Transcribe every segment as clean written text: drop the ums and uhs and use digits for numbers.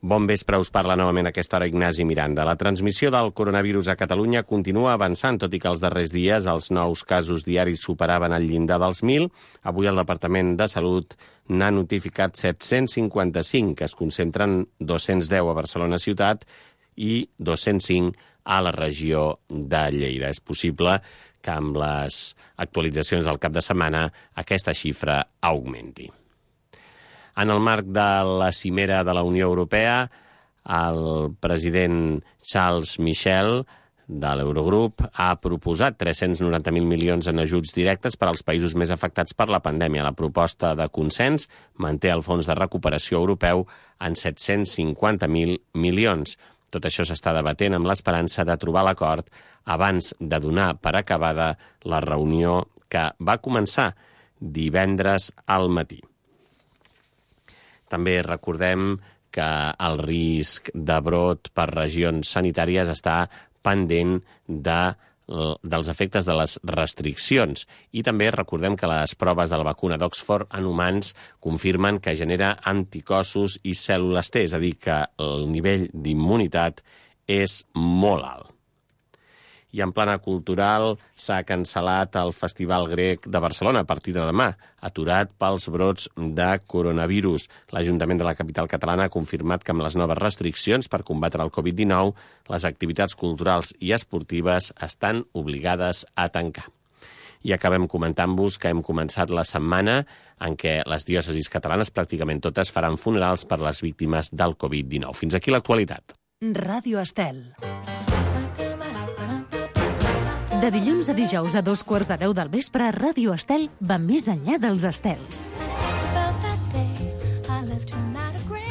Bon vespre, us parla novament a aquesta hora Ignasi Miranda. La transmissió del coronavirus a Catalunya continua avançant, tot i que els darrers dies els nous casos diaris superaven el llindar dels 1.000. Avui el Departament de Salut n'ha notificat 755, que es concentren 210 a Barcelona ciutat i 205 a la regió de Lleida. És possible que amb les actualitzacions del cap de setmana aquesta xifra augmenti. En el marc de la cimera de la Unió Europea, el president Charles Michel de l'Eurogrup ha proposat 390.000 milions en ajuts directes per als països més afectats per la pandèmia. La proposta de consens manté el Fons de Recuperació Europeu en 750.000 milions. Tot això s'està debatent amb l'esperança de trobar l'acord abans de donar per acabada la reunió que va començar divendres al matí. També recordem que el risc de brot per regions sanitàries està pendent dels efectes de les restriccions. I també recordem que les proves de la vacuna d'Oxford en humans confirmen que genera anticossos i cèl·lules T, és a dir, que el nivell d'immunitat és molt alt. I en plana cultural s'ha cancel·lat el Festival Grec de Barcelona a partir de demà, aturat pels brots de coronavirus. L'Ajuntament de la capital catalana ha confirmat que amb les noves restriccions per combatre el Covid-19, les activitats culturals i esportives estan obligades a tancar. I acabem comentant-vos que hem començat la setmana en què les diòcesis catalanes pràcticament totes faran funerals per les víctimes del Covid-19. Fins aquí l'actualitat. Ràdio Estel. De dilluns a dijous a 2:15 del vespre, Ràdio Estel va més enllà dels estels.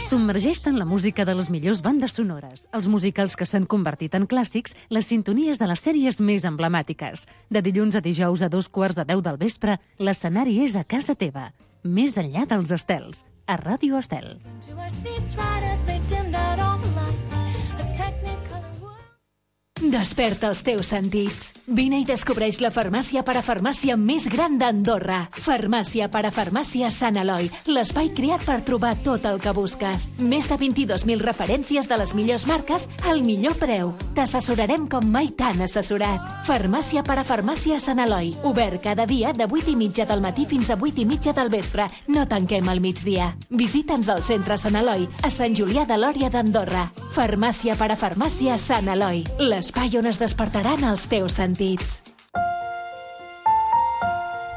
Submergeix-te en la música de les millors bandes sonores, els musicals que s'han convertit en clàssics, les sintonies de les sèries més emblemàtiques. De dilluns a dijous a 2:15 del vespre, l'escenari és a casa teva. Més enllà dels estels, a Ràdio Estel. Desperta els teus sentits. Vine i descobreix la farmàcia parafarmàcia més gran d'Andorra. Farmàcia parafarmàcia Sant Eloi, l'espai creat per trobar tot el que busques. Més de 22.000 referències de les millors marques al millor preu. T'assessorarem com mai t'han assessorat. Farmàcia parafarmàcia Sant Eloi, obert cada dia de 8:30 del matí fins a 8:30 del vespre. No tanquem al migdia. Visita'ns al centre Sant Eloi, a Sant Julià de Lòria d'Andorra. Farmàcia parafarmàcia Sant Eloi, l'espai on es despertaran els teus sentits.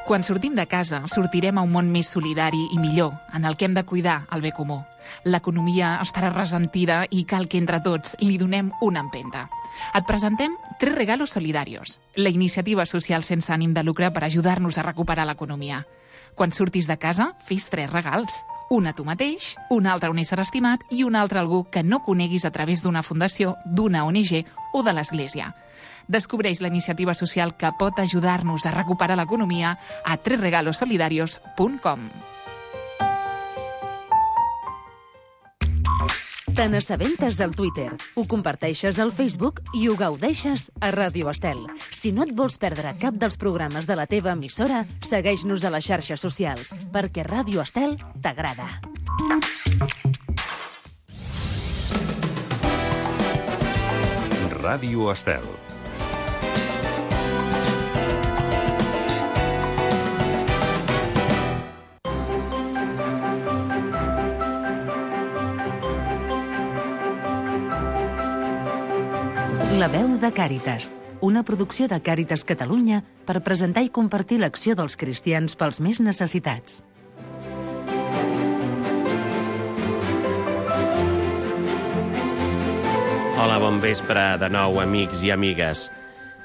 Quan sortim de casa, sortirem a un món més solidari i millor, en el que hem de cuidar el bé comú. L'economia estarà ressentida i cal que entre tots li donem una empenta. Et presentem 3 regalos solidarios, la iniciativa social sense ànim de lucre per ajudar-nos a recuperar l'economia. Quan surtis de casa, fes 3 regals. Un a tu mateix, un altre a un ésser estimat i un altre a algú que no coneguis a través d'una fundació, d'una ONG o de l'Església. Descobreix la iniciativa social que pot ajudar-nos a recuperar l'economia a 3regalosolidarios.com. Te n'assabentes al Twitter, ho comparteixes al Facebook i ho gaudeixes a Ràdio Estel. Si no et vols perdre cap dels programes de la teva emissora, segueix-nos a les xarxes socials, perquè Ràdio Estel t'agrada. Ràdio Estel. La veu de Càritas, una producció de Càritas Catalunya per presentar i compartir l'acció dels cristians pels més necessitats. Hola, bon vespre de nou, amics i amigues.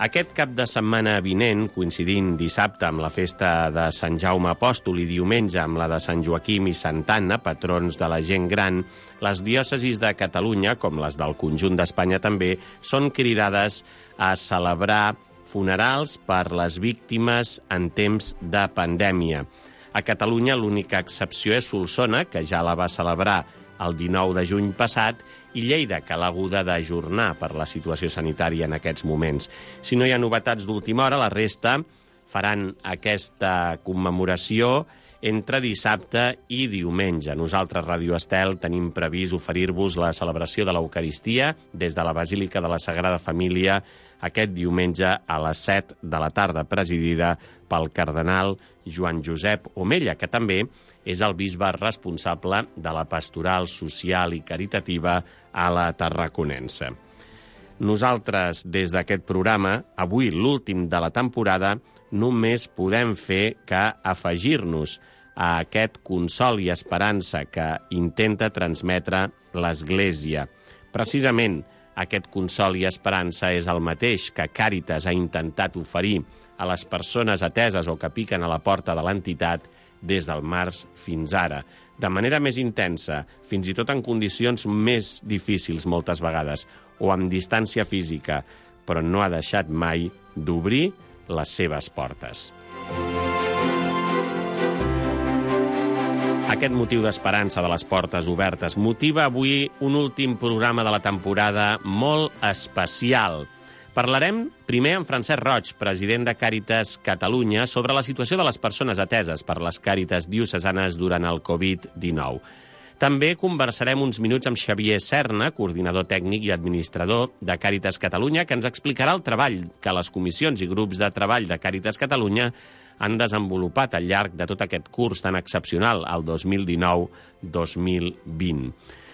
Aquest cap de setmana vinent, coincidint dissabte amb la festa de Sant Jaume Apòstol i diumenge amb la de Sant Joaquim i Santa Anna, patrons de la gent gran, les diòcesis de Catalunya, com les del conjunt d'Espanya també, són cridades a celebrar funerals per les víctimes en temps de pandèmia. A Catalunya l'única excepció és Solsona, que ja la va celebrar el 19 de juny passat, i Lleida, que l'ha haguda d'ajornar per la situació sanitària en aquests moments. Si no hi ha novetats d'última hora, la resta faran aquesta commemoració entre dissabte i diumenge. Nosaltres, Ràdio Estel, tenim previst oferir-vos la celebració de l'Eucaristia des de la Basílica de la Sagrada Família aquest diumenge a les 7 de la tarda, presidida pel cardenal Joan Josep Omella, que també és el bisbe responsable de la pastoral social i caritativa a la Tarraconense. Nosaltres, des d'aquest programa, avui l'últim de la temporada, només podem fer que afegir-nos a aquest consol i esperança que intenta transmetre l'Església. Precisament, aquest consol i esperança és el mateix que Càritas ha intentat oferir a les persones ateses o que piquen a la porta de l'entitat des del març fins ara, de manera més intensa, fins i tot en condicions més difícils moltes vegades, o amb distància física, però no ha deixat mai d'obrir les seves portes. Aquest motiu d'esperança de les portes obertes motiva avui un últim programa de la temporada molt especial. Parlarem primer amb Francesc Roig, president de Càritas Catalunya, sobre la situació de les persones ateses per les Càritas diocesanes durant el Covid-19. També conversarem uns minuts amb Xavier Serna, coordinador tècnic i administrador de Càritas Catalunya, que ens explicarà el treball que les comissions i grups de treball de Càritas Catalunya han desenvolupat al llarg de tot aquest curs tan excepcional, el 2019-2020.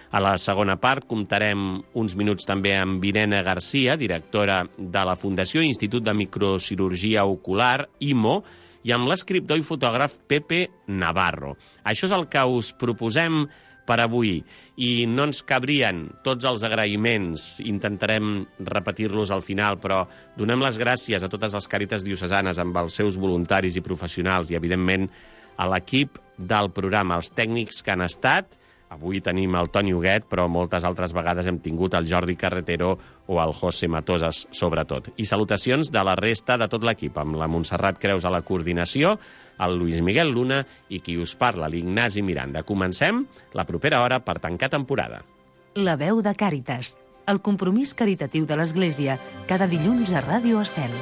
A la segona part comptarem uns minuts també amb Irene Garcia, directora de la Fundació Institut de Microcirurgia Ocular, IMO, i amb l'escriptor i fotògraf Pepe Navarro. Això és el que us proposem per avui, i no ens cabrien tots els agraïments, intentarem repetir-los al final, però donem les gràcies a totes les Càritas diocesanes amb els seus voluntaris i professionals i, evidentment, a l'equip del programa, els tècnics que han estat. Avui tenim el Toni Huguet, però moltes altres vegades hem tingut el Jordi Carretero o el José Matosas, sobretot. I salutacions de la resta de tot l'equip, amb la Montserrat Creus a la coordinació, el Luis Miguel Luna i qui us parla, l'Ignasi Miranda. Comencem la propera hora per tancar temporada. La veu de Càritas, el compromís caritatiu de l'Església, cada dilluns a Ràdio Estel.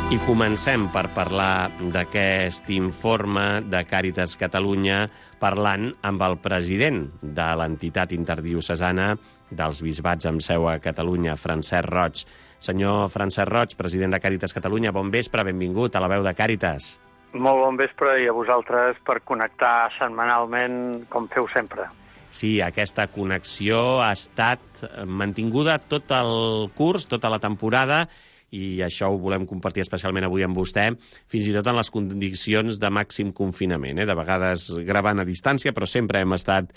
I comencem per parlar d'aquest informe de Càritas Catalunya, parlant amb el president de l'entitat interdiocesana dels bisbats amb seu a Catalunya, Francesc Roig. Senyor Francesc Roig, president de Càritas Catalunya, bon vespre, benvingut a la veu de Càritas. Molt bon vespre i a vosaltres per connectar setmanalment com feu sempre. Sí, aquesta connexió ha estat mantinguda tot el curs, tota la temporada, i això ho volem compartir especialment avui amb vostè, fins i tot en les condicions de màxim confinament, de vegades gravant a distància, però sempre hem estat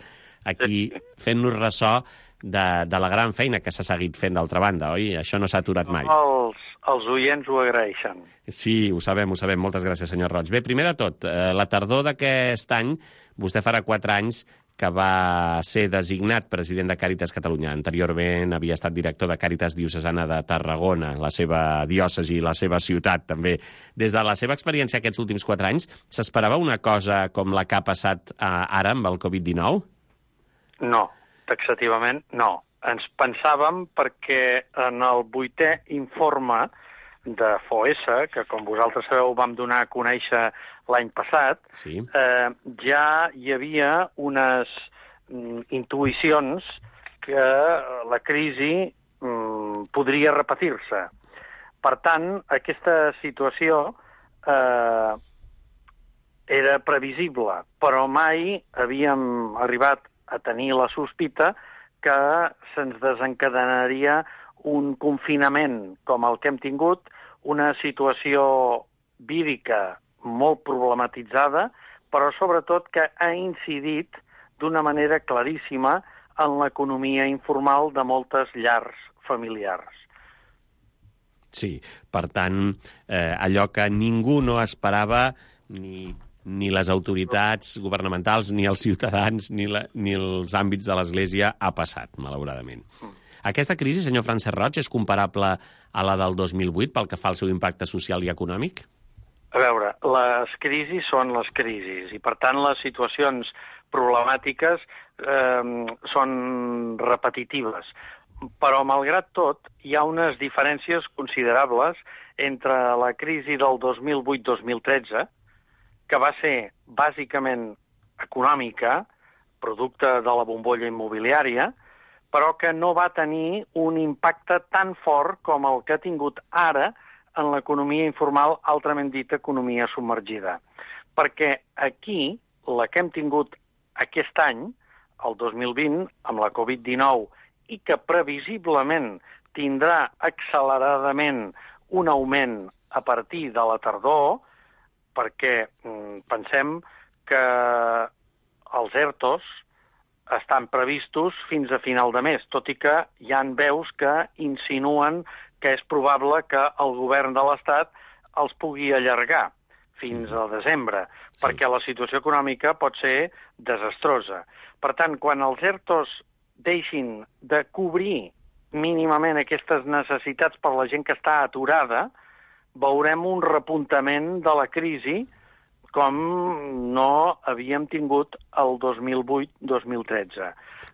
aquí fent-nos ressò de la gran feina que s'ha seguit fent d'altra banda, oi? Això no s'ha aturat mai. Els oients ho agraeixen. Sí, ho sabem. Moltes gràcies, senyor Roig. Bé, primer de tot, la tardor d'aquest any, vostè farà 4 anys que va ser designat president de Càritas Catalunya. Anteriorment havia estat director de Càritas Diocesana de Tarragona, la seva diòcesi i la seva ciutat, també. Des de la seva experiència aquests últims 4 anys, s'esperava una cosa com la que ha passat ara amb el Covid-19? No, taxativament no. Ens pensàvem perquè en el 8è informe de FOESA, que com vosaltres sabeu vam donar a conèixer l'any passat, sí, ja hi havia unes intuïcions que la crisi podria repetir-se. Per tant, aquesta situació era previsible, però mai havíem arribat a tenir la sospita que se'ns desencadenaria un confinament com el que hem tingut, una situació vírica molt problematitzada, però sobretot que ha incidit d'una manera claríssima en l'economia informal de moltes llars familiars. Sí, per tant, allò que ningú no esperava, ni les autoritats governamentals, ni els ciutadans, ni els àmbits de l'Església, ha passat, malauradament. Aquesta crisi, senyor Francesc Roig, és comparable a la del 2008 pel que fa al seu impacte social i econòmic? A veure, les crisis són les crisis i, per tant, les situacions problemàtiques són repetitives. Però, malgrat tot, hi ha unes diferències considerables entre la crisi del 2008-2013, que va ser bàsicament econòmica, producte de la bombolla immobiliària, però que no va tenir un impacte tan fort com el que ha tingut ara en l'economia informal, altrament dit economia submergida. Perquè aquí, la que hem tingut aquest any, el 2020, amb la Covid-19, i que previsiblement tindrà acceleradament un augment a partir de la tardor, perquè pensem que els ERTOs estan previstos fins a final de mes, tot i que hi ha veus que insinuen que és probable que el govern de l'Estat els pugui allargar fins a desembre, perquè la situació econòmica pot ser desastrosa. Per tant, quan els ERTOs deixin de cobrir mínimament aquestes necessitats per la gent que està aturada, veurem un repuntament de la crisi com no havíem tingut el 2008-2013,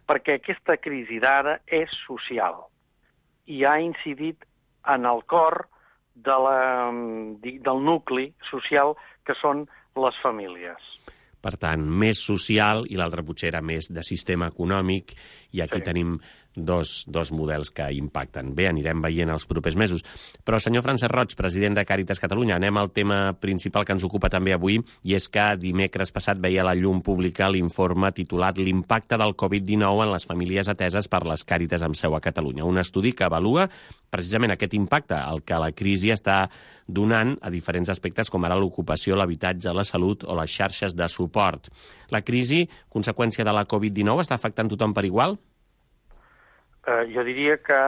perquè aquesta crisi d'ara és social i ha incidit en el cor del nucli social que són les famílies. Per tant, més social i l'altre potser era més de sistema econòmic i aquí tenim dos models que impacten. Bé, anirem veient els propers mesos. Però, senyor Francesc Roig, president de Càritas Catalunya, anem al tema principal que ens ocupa també avui, i és que dimecres passat veia a la llum pública l'informe titulat L'impacte del Covid-19 en les famílies ateses per les Càritas amb seu a Catalunya. Un estudi que avalua precisament aquest impacte, el que la crisi està donant a diferents aspectes com ara l'ocupació, l'habitatge, la salut o les xarxes de suport. La crisi, conseqüència de la Covid-19, està afectant tothom per igual? Jo diria que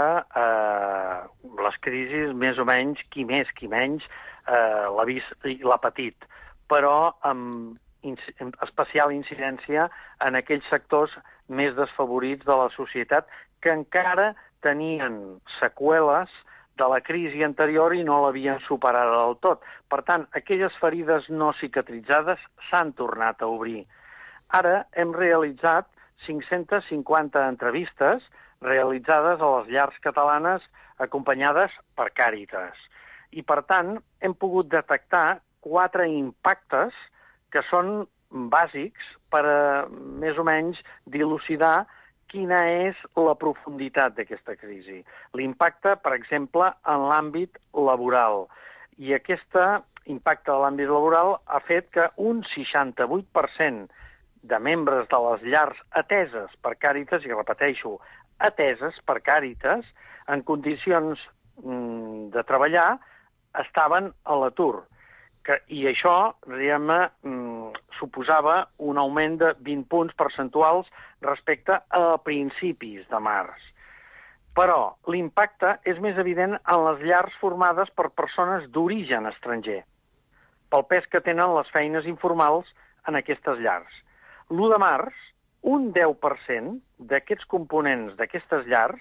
les crisis, més o menys, qui més, qui menys, l'ha vist i l'ha patit, però amb especial incidència en aquells sectors més desfavorits de la societat que encara tenien seqüeles de la crisi anterior i no l'havien superada del tot. Per tant, aquelles ferides no cicatritzades s'han tornat a obrir. Ara hem realitzat 550 entrevistes realitzades a les llars catalanes acompanyades per Càritas. I, per tant, hem pogut detectar 4 impactes que són bàsics per més o menys dilucidar quina és la profunditat d'aquesta crisi. L'impacte, per exemple, en l'àmbit laboral. I aquest impacte de l'àmbit laboral ha fet que un 68% de membres de les llars ateses per Càritas, i repeteixo, ateses per Càritas, en condicions de treballar, estaven a l'atur. I això, diguem-ne, suposava un augment de 20 punts percentuals respecte a principis de març. Però l'impacte és més evident en les llars formades per persones d'origen estranger, pel pes que tenen les feines informals en aquestes llars. L'1 de març, un 10% d'aquests components d'aquestes llars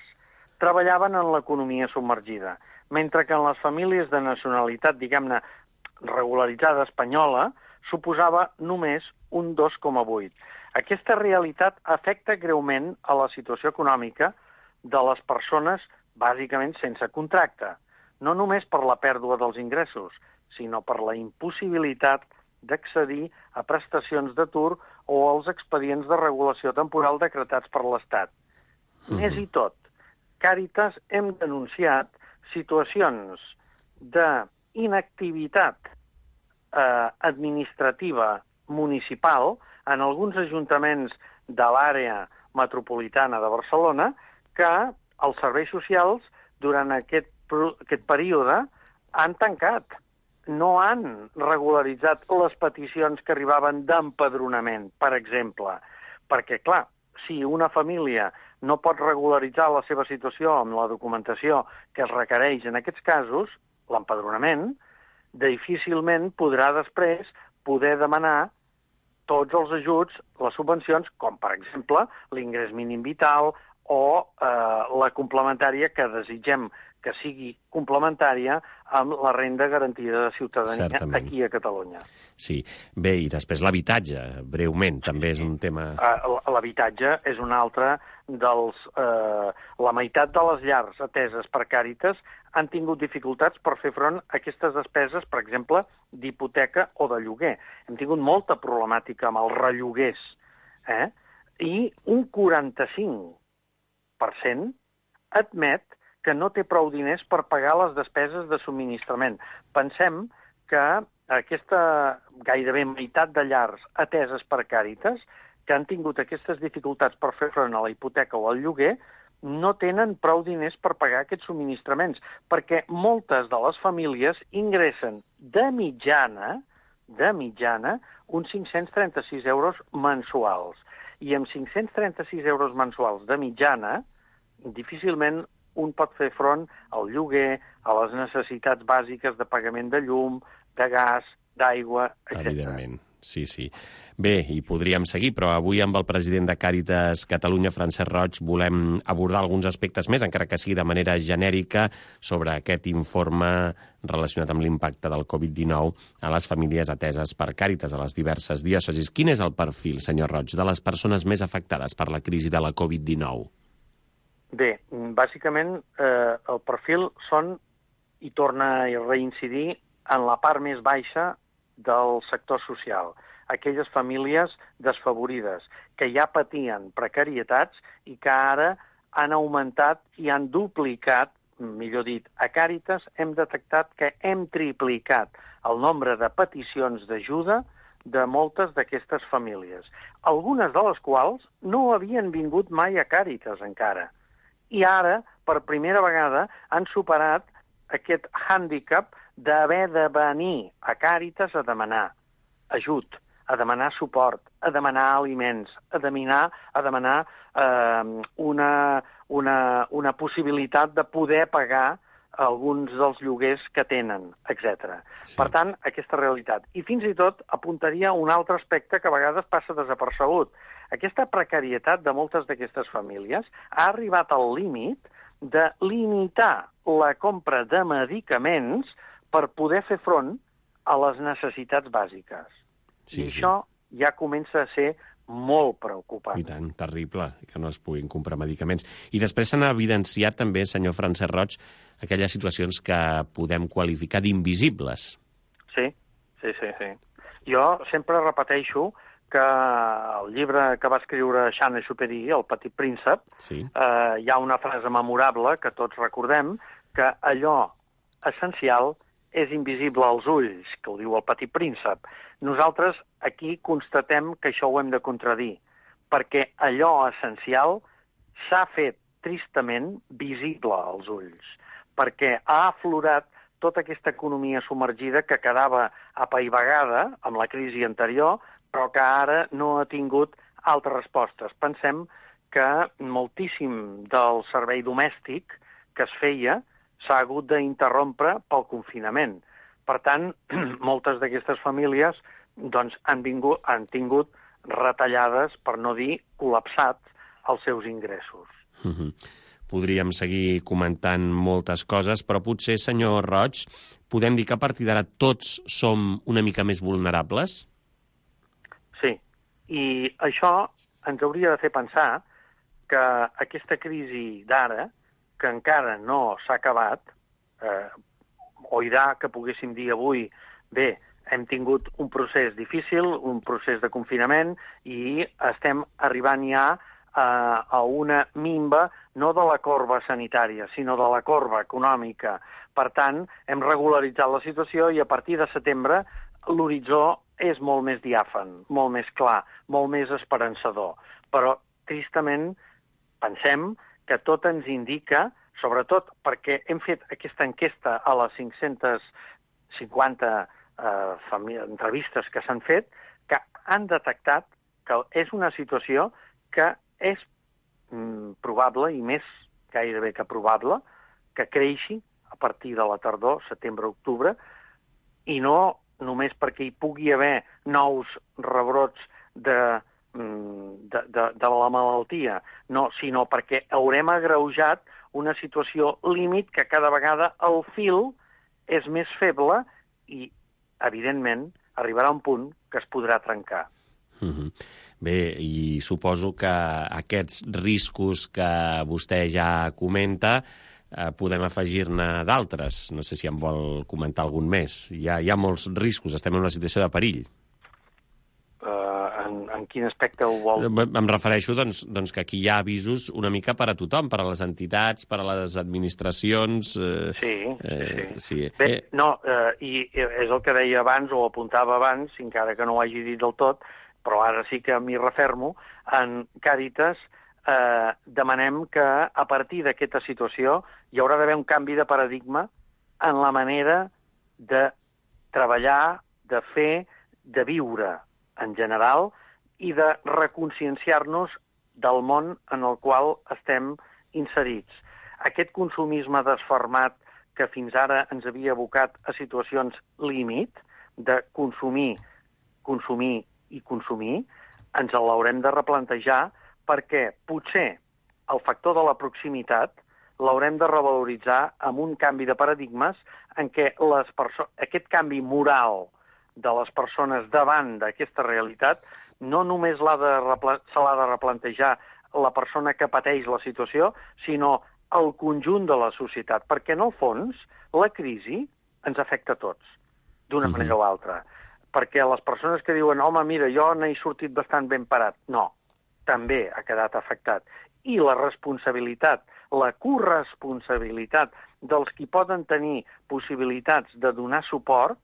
treballaven en l'economia submergida, mentre que en les famílies de nacionalitat, diguem-ne, regularitzada espanyola, suposava només un 2,8%. Aquesta realitat afecta greument a la situació econòmica de les persones bàsicament sense contracte, no només per la pèrdua dels ingressos, sinó per la impossibilitat d'accedir a prestacions d'atur o als expedients de regulació temporal decretats per l'Estat. Més i tot, Càritas hem denunciat situacions d'inactivitat administrativa municipal en alguns ajuntaments de l'àrea metropolitana de Barcelona que els serveis socials durant aquest període han tancat. No han regularitzat les peticions que arribaven d'empadronament, per exemple. Perquè, clar, si una família no pot regularitzar la seva situació amb la documentació que es requereix en aquests casos, l'empadronament, difícilment podrà després poder demanar tots els ajuts, les subvencions, com per exemple l'ingrés mínim vital o la complementària que desitgem que sigui complementària amb la renda garantida de ciutadania aquí a Catalunya. Sí. Bé, i després l'habitatge, breument, també és un tema... L'habitatge és un altre dels... La meitat de les llars ateses per Càritas han tingut dificultats per fer front a aquestes despeses, per exemple, d'hipoteca o de lloguer. Hem tingut molta problemàtica amb els relloguers, i un 45% admet que no té prou diners per pagar les despeses de subministrament. Pensem que aquesta gairebé meitat de llars ateses per Càritas, que han tingut aquestes dificultats per fer front a la hipoteca o al lloguer, no tenen prou diners per pagar aquests subministraments, perquè moltes de les famílies ingressen de mitjana, uns 536 euros mensuals. I amb 536 euros mensuals de mitjana, difícilment un pot fer front al lloguer, a les necessitats bàsiques de pagament de llum, de gas, d'aigua, etc. Evidentment, sí. Bé, i podríem seguir, però avui amb el president de Càritas Catalunya, Francesc Roig, volem abordar alguns aspectes més, encara que sigui de manera genèrica, sobre aquest informe relacionat amb l'impacte del Covid-19 a les famílies ateses per Càritas a les diverses diòcesis. Quin és el perfil, senyor Roig, de les persones més afectades per la crisi de la Covid-19? Bé, bàsicament el perfil són, i torna a reincidir, en la part més baixa del sector social. Aquelles famílies desfavorides, que ja patien precarietats i que ara han augmentat i han duplicat, millor dit, a Càritas hem detectat que hem triplicat el nombre de peticions d'ajuda de moltes d'aquestes famílies, algunes de les quals no havien vingut mai a Càritas encara. I ara, per primera vegada, han superat aquest hàndicap d'haver de venir a Càritas a demanar ajut, a demanar suport, a demanar aliments, a demanar una possibilitat de poder pagar alguns dels lloguers que tenen, etc. Sí. Per tant, aquesta realitat. I fins i tot apuntaria un altre aspecte que a vegades passa desapercebut. Aquesta precarietat de moltes d'aquestes famílies ha arribat al límit de limitar la compra de medicaments per poder fer front a les necessitats bàsiques. I això ja comença a ser molt preocupant. I tant, terrible, que no es puguin comprar medicaments. I després s'han evidenciat també, senyor Francesc Roig, aquelles situacions que podem qualificar d'invisibles. Sí. Jo sempre repeteixo que el llibre que va escriure Saint-Exupéry, El petit príncep, hi ha una frase memorable que tots recordem, que allò essencial és invisible als ulls, que ho diu el petit príncep. Nosaltres aquí constatem que això ho hem de contradir, perquè allò essencial s'ha fet tristament visible als ulls, perquè ha aflorat tota aquesta economia submergida que quedava apaivagada amb la crisi anterior, però que ara no ha tingut altres respostes. Pensem que moltíssim del servei domèstic que es feia s'ha hagut d'interrompre pel confinament. Per tant, moltes d'aquestes famílies han tingut retallades, per no dir col·lapsats, els seus ingressos. Podríem seguir comentant moltes coses, però potser, senyor Roig, podem dir que a partir d'ara tots som una mica més vulnerables? Sí, i això ens hauria de fer pensar que aquesta crisi d'ara, que encara no s'ha acabat, o irà, que poguéssim dir avui, bé, hem tingut un procés difícil, un procés de confinament, i estem arribant ja a una minva no de la corba sanitària, sinó de la corba econòmica. Per tant, hem regularitzat la situació i a partir de setembre l'horitzó és molt més diàfan, molt més clar, molt més esperançador. Però, tristament, pensem que tot ens indica, sobretot perquè hem fet aquesta enquesta a les 550 entrevistes que s'han fet, que han detectat que és una situació que és probable, i més gairebé que probable, que creixi a partir de la tardor, setembre-octubre, i no només perquè hi pugui haver nous rebrots de la malaltia, no, sinó perquè haurem agreujat una situació límit que cada vegada el fil és més feble i, evidentment, arribarà un punt que es podrà trencar. Bé, i suposo que aquests riscos que vostè ja comenta podem afegir-ne d'altres. No sé si en vol comentar algun més. Hi ha molts riscos, estem en una situació de perill. En quin aspecte ho vol? Em refereixo doncs, que aquí hi ha avisos una mica per a tothom, per a les entitats, per a les administracions... Sí. Bé, i és el que deia abans, o apuntava abans, encara que no ho hagi dit del tot, però ara sí que m'hi refermo, en Càritas demanem que a partir d'aquesta situació hi haurà d'haver un canvi de paradigma en la manera de treballar, de fer, de viure en general i de reconscienciar-nos del món en el qual estem inserits. Aquest consumisme desformat que fins ara ens havia abocat a situacions límit de consumir i consumir, ens l'haurem de replantejar perquè potser el factor de la proximitat l'haurem de revaloritzar amb un canvi de paradigmes en què aquest canvi moral de les persones davant d'aquesta realitat no només se l'ha de replantejar la persona que pateix la situació, sinó el conjunt de la societat, perquè en el fons la crisi ens afecta a tots, d'una manera o altra. Perquè les persones que diuen, home, mira, jo n'he sortit bastant ben parat, no, també ha quedat afectat. I la responsabilitat, la corresponsabilitat dels qui poden tenir possibilitats de donar suport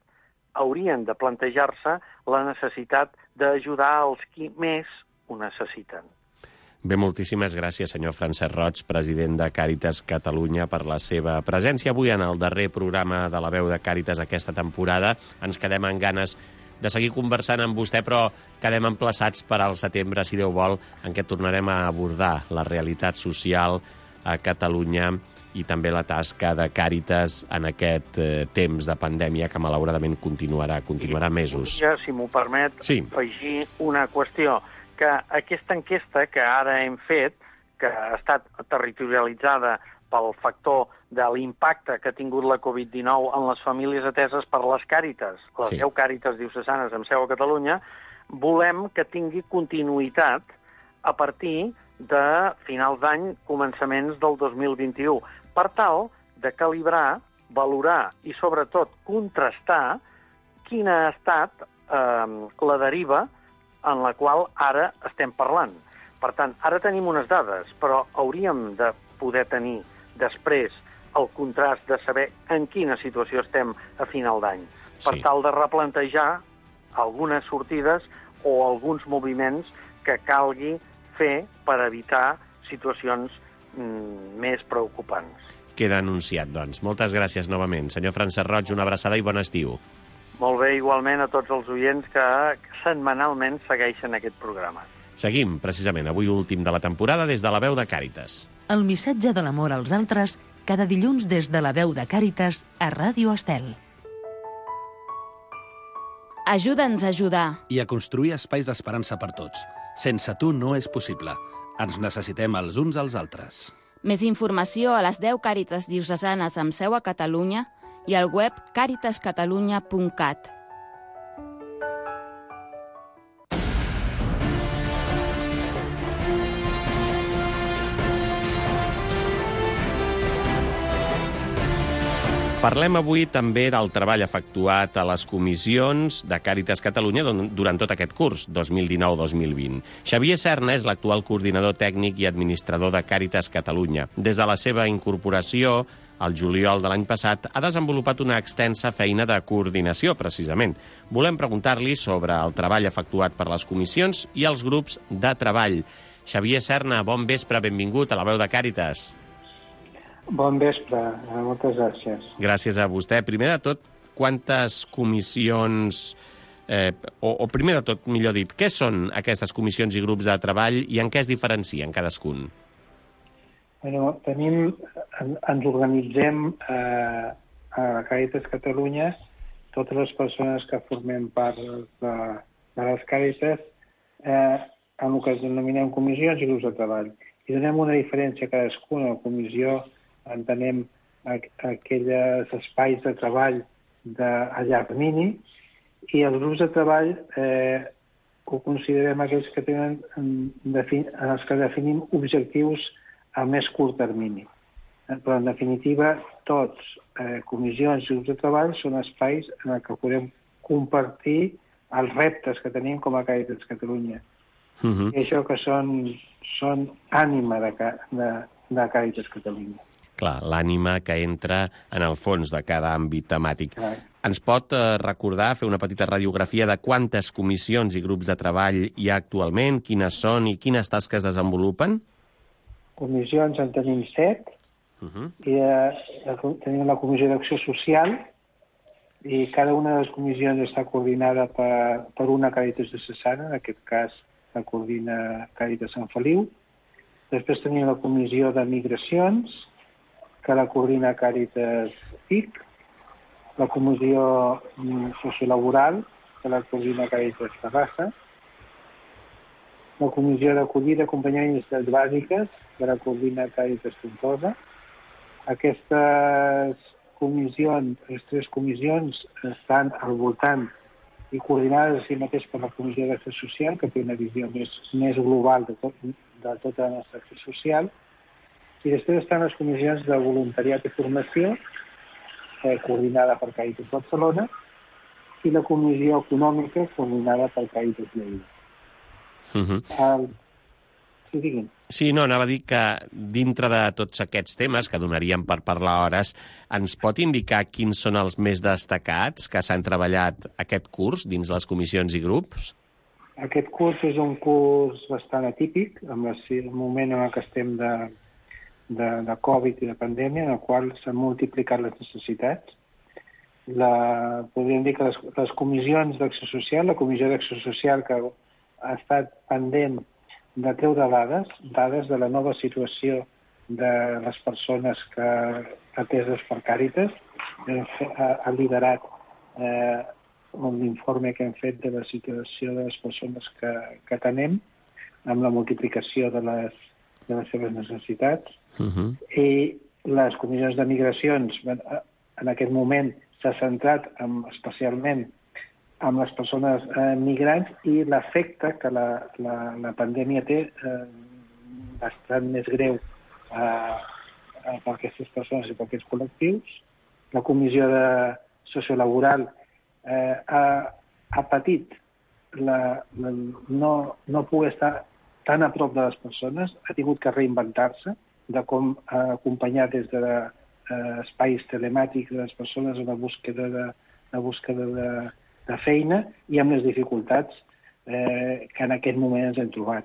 haurien de plantejar-se la necessitat d'ajudar els qui més ho necessiten. Bé, moltíssimes gràcies, senyor Francesc Roig, president de Càritas Catalunya, per la seva presència avui en el darrer programa de la veu de Càritas aquesta temporada. Ens quedem amb ganes de seguir conversant amb vostè, però quedem emplaçats per al setembre, si Déu vol, en què tornarem a abordar la realitat social a Catalunya i també la tasca de Càritas en aquest temps de pandèmia que malauradament continuarà mesos. Si m'ho permet, afegir una qüestió, que aquesta enquesta que ara hem fet, que ha estat territorialitzada pel factor de l'impacte que ha tingut la Covid-19 en les famílies ateses per les Càritas, les 10 Càritas diocesanes amb seu a Catalunya, volem que tingui continuïtat a partir de finals d'any, començaments del 2021, per tal de calibrar, valorar i, sobretot, contrastar quina ha estat la deriva en la qual ara estem parlant. Per tant, ara tenim unes dades, però hauríem de poder tenir després el contrast de saber en quina situació estem a final d'any, per tal de replantejar algunes sortides o alguns moviments que calgui fer per evitar situacions més preocupants. Queda anunciat, doncs. Moltes gràcies novament. Senyor Francesc Roig, una abraçada i bon estiu. Molt bé, igualment a tots els oients que setmanalment segueixen aquest programa. Seguim, precisament, avui últim de la temporada des de la veu de Càritas. El missatge de l'amor als altres, cada dilluns des de la veu de Càritas a Ràdio Estel. Ajuda'ns a ajudar. I a construir espais d'esperança per tots. Sense tu no és possible. Ens necessitem els uns als altres. Més informació a les 10 Càritas diocesanes amb seu a Catalunya i al web caritascatalunya.cat. Parlem avui també del treball efectuat a les comissions de Càritas Catalunya durant tot aquest curs, 2019-2020. Xavier Serna és l'actual coordinador tècnic i administrador de Càritas Catalunya. Des de la seva incorporació, al juliol de l'any passat, ha desenvolupat una extensa feina de coordinació, precisament. Volem preguntar-li sobre el treball efectuat per les comissions i els grups de treball. Xavier Serna, bon vespre, benvingut a la veu de Càritas. Bon vespre, moltes gràcies. Gràcies a vostè. Primer de tot, quantes comissions, o primer de tot, millor dit, què són aquestes comissions i grups de treball i en què es diferencien cadascun? Bueno, ens organitzem a Càritas Catalunya, totes les persones que formem part de les Càritas, en el que denominem comissions i grups de treball. I donem una diferència a cadascuna. La comissió entenem aquells espais de treball a llarg termini, i els grups de treball ho considerem aquells que tenen en els que definim objectius a més curt termini. Però, en definitiva, tots, comissions i grups de treball, són espais en què podem compartir els reptes que tenim com a Càritas Catalunya. I això que són ànima de Càritas Catalunya. Clar, l'ànima que entra en el fons de cada àmbit temàtic. Ens pot recordar, fer una petita radiografia de quantes comissions i grups de treball hi ha actualment, quines són i quines tasques desenvolupen? Comissions en tenim 7, i tenim la Comissió d'Acció Social, i cada una de les comissions està coordinada per una Càritas diocesana, en aquest cas la coordina Càritas Sant Feliu. Després tenim la Comissió de Migracions, que la coordina Càritas TIC, la Comissió Sociolaboral, que la coordina Càritas Terrassa, la Comissió d'Acollida, Acompanyament i Necessitats Bàsiques, que la coordina Càritas Tortosa. Aquestes comissions, les 3 comissions, estan al voltant i coordinades a si mateix per la Comissió d'Acció Social, que té una visió més global de tota la nostra acció social. I després estan les comissions de voluntariat i formació, coordinada per Càritas Barcelona, i la comissió econòmica, coordinada per Càritas Lleida. Sí, diguin. Sí, no, anava a dir que dintre de tots aquests temes, que donaríem per parlar hores, ens pot indicar quins són els més destacats que s'han treballat aquest curs dins les comissions i grups? Aquest curs és un curs bastant atípic, en el moment en què estem de Covid i de pandèmia, en el qual s'han multiplicat les necessitats. Podríem dir que les comissions d'Acció Social, la Comissió d'Acció Social que ha estat pendent de treure dades de la nova situació de les persones ateses per Càritas, ha liderat l'informe que hem fet de la situació de les persones que tenem, amb la multiplicació de les seves necessitats. I les comissions de migracions, en aquest moment, s'ha centrat especialment amb les persones migrants i l'efecte que la pandèmia té bastant més greu per aquestes persones i per aquests col·lectius. La Comissió Sociolaboral ha patit no poder estar tan a prop de les persones, ha tingut que reinventar-se de com acompanyar des d'espais telemàtics les persones en la búsqueda de feina i amb les dificultats que en aquest moment ens hem trobat.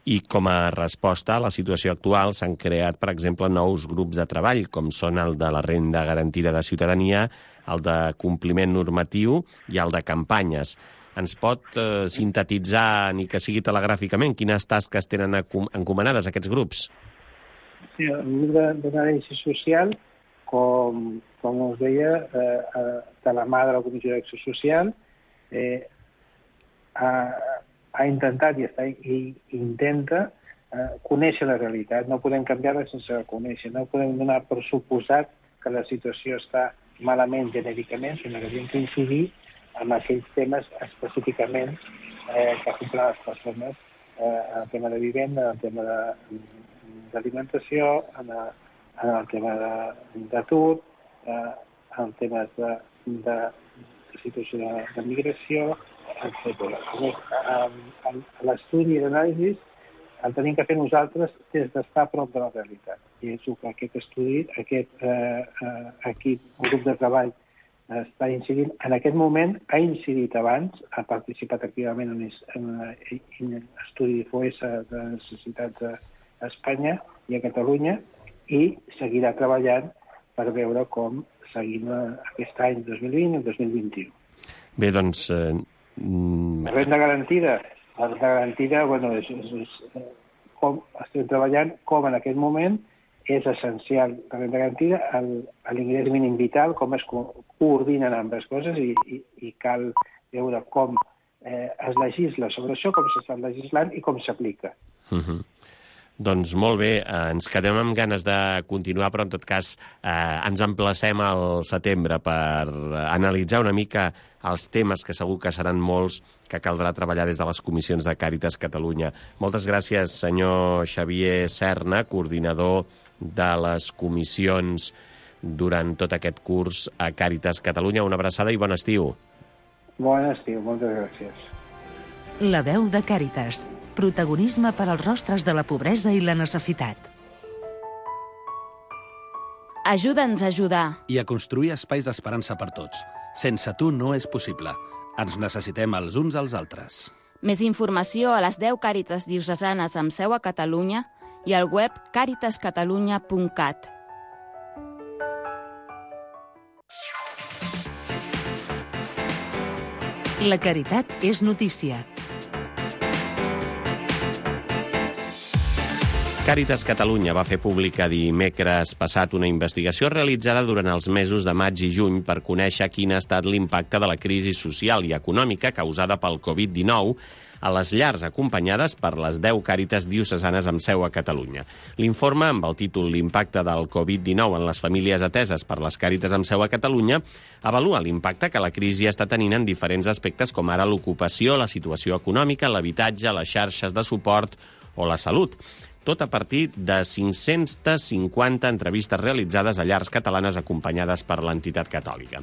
I com a resposta a la situació actual s'han creat, per exemple, nous grups de treball, com són el de la renda garantida de ciutadania, el de compliment normatiu i el de campanyes. Ens pot sintetitzar, ni que sigui telegràficament, quines tasques tenen encomanades aquests grups? Sí, el grup d'anàlisi social, com us deia, de la mà de la Comissió d'Acció Social, ha intentat i intenta conèixer la realitat. No podem canviar-la sense conèixer. No podem donar per suposat que la situació està malament genèricament, sinó que hem d'incidir en aquells temes específicament que afecten les persones, en el tema de vivenda, en el tema d'alimentació, en el tema d'atur, en el tema de situació de migració, etc. L'estudi i l'anàlisi el tenim que fer nosaltres des d'estar a prop de la realitat. I és que aquest estudi, aquest grup de treball està incidint. En aquest moment ha incidit abans, ha participat activament en l'estudi FOESA de necessitats a Espanya i a Catalunya i seguirà treballant per veure com seguim aquest any 2020 i el 2021. Bé, doncs... La renda garantida, bueno, és com estem treballant, com en aquest moment és essencial la renda garantida, l'ingrés mínim vital, com es coordinen ambdues coses i cal veure com es legisla sobre això, com s'està legislant i com s'aplica. Doncs molt bé, ens quedem amb ganes de continuar, però en tot cas ens emplacem al setembre per analitzar una mica els temes que segur que seran molts que caldrà treballar des de les comissions de Càritas Catalunya. Moltes gràcies, senyor Xavier Serna, coordinador de les comissions durant tot aquest curs a Càritas Catalunya. Una abraçada i bon estiu. Bon estiu, moltes gràcies. La veu de Càritas. Protagonisme per als rostres de la pobresa i la necessitat. Ajuda'ns a ajudar. I a construir espais d'esperança per tots. Sense tu no és possible. Ens necessitem els uns als altres. Més informació a les 10 Càritas diocesanes amb seu a Catalunya i al web caritascatalunya.cat. La caritat és notícia. Càritas Catalunya va fer pública dimecres passat una investigació realitzada durant els mesos de maig i juny per conèixer quin ha estat l'impacte de la crisi social i econòmica causada pel Covid-19 a les llars acompanyades per les 10 Càritas diocesanes amb seu a Catalunya. L'informe, amb el títol L'impacte del Covid-19 en les famílies ateses per les Càritas amb seu a Catalunya, avalua l'impacte que la crisi està tenint en diferents aspectes com ara l'ocupació, la situació econòmica, l'habitatge, les xarxes de suport o la salut. Tot a partir de 550 entrevistes realitzades a llars catalanes acompanyades per l'entitat catòlica.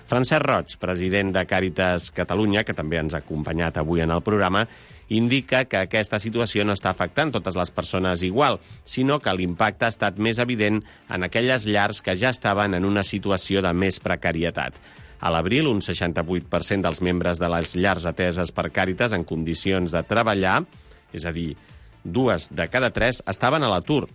Francesc Roig, president de Càritas Catalunya, que també ens ha acompanyat avui en el programa, indica que aquesta situació no està afectant totes les persones igual, sinó que l'impacte ha estat més evident en aquelles llars que ja estaven en una situació de més precarietat. A l'abril, un 68% dels membres de les llars ateses per Càritas en condicions de treballar, és a dir, 2 de cada 3 estaven a l'atur,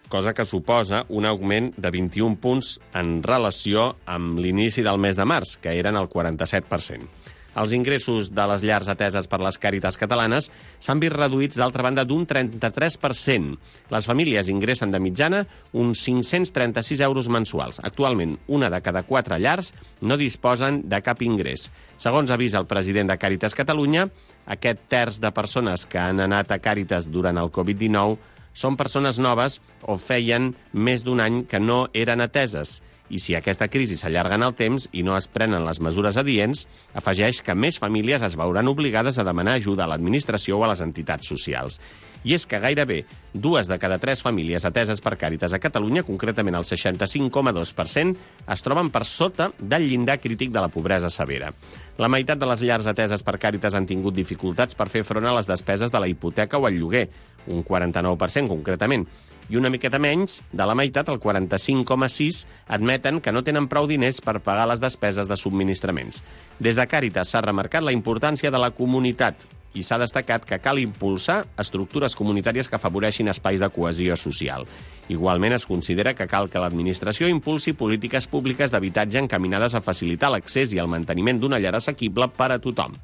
cosa que suposa un augment de 21 punts en relació amb l'inici del mes de març, que eren el 47%. Els ingressos de les llars ateses per les Càritas catalanes s'han vist reduïts, d'altra banda, d'un 33%. Les famílies ingressen de mitjana uns 536 euros mensuals. Actualment, 1 de cada 4 llars no disposen de cap ingrés. Segons avisa el president de Càritas Catalunya, aquest terç de persones que han anat a Càritas durant el Covid-19 són persones noves o feien més d'un any que no eren ateses. I si aquesta crisi s'allarga en el temps i no es prenen les mesures adients, afegeix que més famílies es veuran obligades a demanar ajuda a l'administració o a les entitats socials. I és que gairebé 2 de cada 3 famílies ateses per Càritas a Catalunya, concretament el 65,2%, es troben per sota del llindar crític de la pobresa severa. La meitat de les llars ateses per Càritas han tingut dificultats per fer front a les despeses de la hipoteca o el lloguer, un 49% concretament, i una miqueta menys, de la meitat, el 45,6%, admeten que no tenen prou diners per pagar les despeses de subministraments. Des de Càritas s'ha remarcat la importància de la comunitat i s'ha destacat que cal impulsar estructures comunitàries que afavoreixin espais de cohesió social. Igualment, es considera que cal que l'administració impulsi polítiques públiques d'habitatge encaminades a facilitar l'accés i el manteniment d'una llar assequible per a tothom.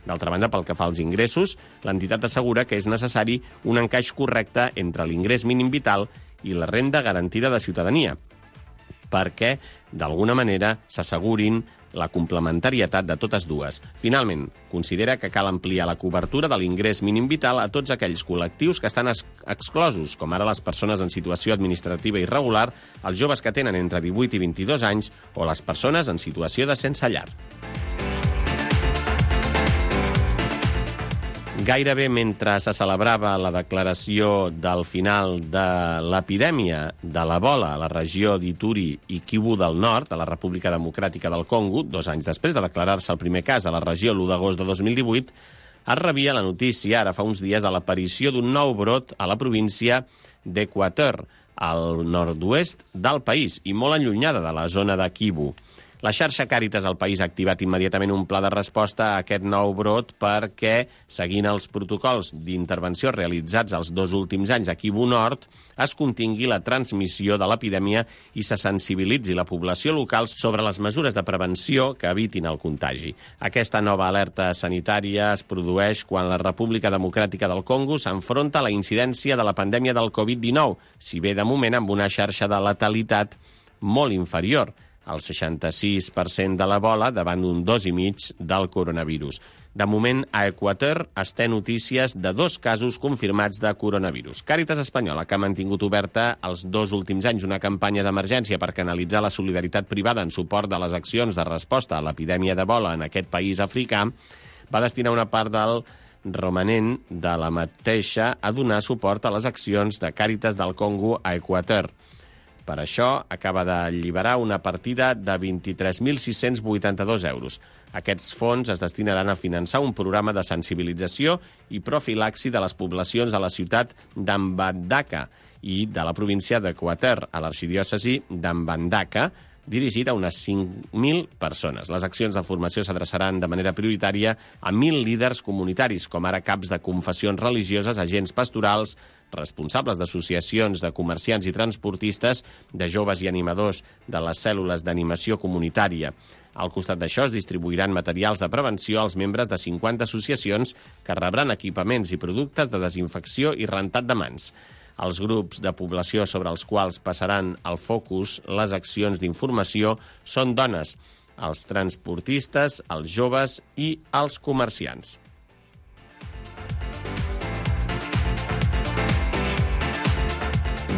D'altra banda, pel que fa als ingressos, l'entitat assegura que és necessari un encaix correcte entre l'ingrés mínim vital i la renda garantida de ciutadania, perquè, d'alguna manera, s'assegurin la complementarietat de totes dues. Finalment, considera que cal ampliar la cobertura de l'ingrés mínim vital a tots aquells col·lectius que estan exclosos, com ara les persones en situació administrativa irregular, els joves que tenen entre 18 i 22 anys o les persones en situació de sense llar. Gairebé mentre se celebrava la declaració del final de l'epidèmia de l'Ebola a la regió d'Ituri i Kivu del Nord, a la República Democràtica del Congo, 2 anys després de declarar-se el primer cas a la regió l'1 d'agost de 2018, es rebia la notícia, ara fa uns dies, de l'aparició d'un nou brot a la província d'Equateur, al nord-oest del país i molt allunyada de la zona de Kivu. La xarxa Càritas al país ha activat immediatament un pla de resposta a aquest nou brot perquè, seguint els protocols d'intervenció realitzats els 2 últims anys a Kivu Nord, es contingui la transmissió de l'epidèmia i se sensibilitzi la població local sobre les mesures de prevenció que evitin el contagi. Aquesta nova alerta sanitària es produeix quan la República Democràtica del Congo s'enfronta a la incidència de la pandèmia del Covid-19, si bé de moment amb una xarxa de letalitat molt inferior, el 66% de l'Ebola davant d'un 2,5% del coronavirus. De moment, a Equateur es té notícies de 2 casos confirmats de coronavirus. Càritas Espanyola, que ha mantingut oberta els 2 últims anys una campanya d'emergència per canalitzar la solidaritat privada en suport de les accions de resposta a l'epidèmia d'Ebola en aquest país africà, va destinar una part del romanent de la mateixa a donar suport a les accions de Càritas del Congo a Equateur. Per això, acaba d'alliberar una partida de 23.682 euros. Aquests fons es destinaran a finançar un programa de sensibilització i profilaxi de les poblacions de la ciutat d'Ambandaka i de la província d'Equateur, a l'arxidiòcesi d'Ambandaka, dirigit a unes 5.000 persones. Les accions de formació s'adreçaran de manera prioritària a 1.000 líders comunitaris, com ara caps de confessions religioses, agents pastorals, responsables d'associacions de comerciants i transportistes, de joves i animadors de les cèl·lules d'animació comunitària. Al costat d'això es distribuiran materials de prevenció als membres de 50 associacions que rebran equipaments i productes de desinfecció i rentat de mans. Els grups de població sobre els quals passaran el focus les accions d'informació són dones, els transportistes, els joves i els comerciants.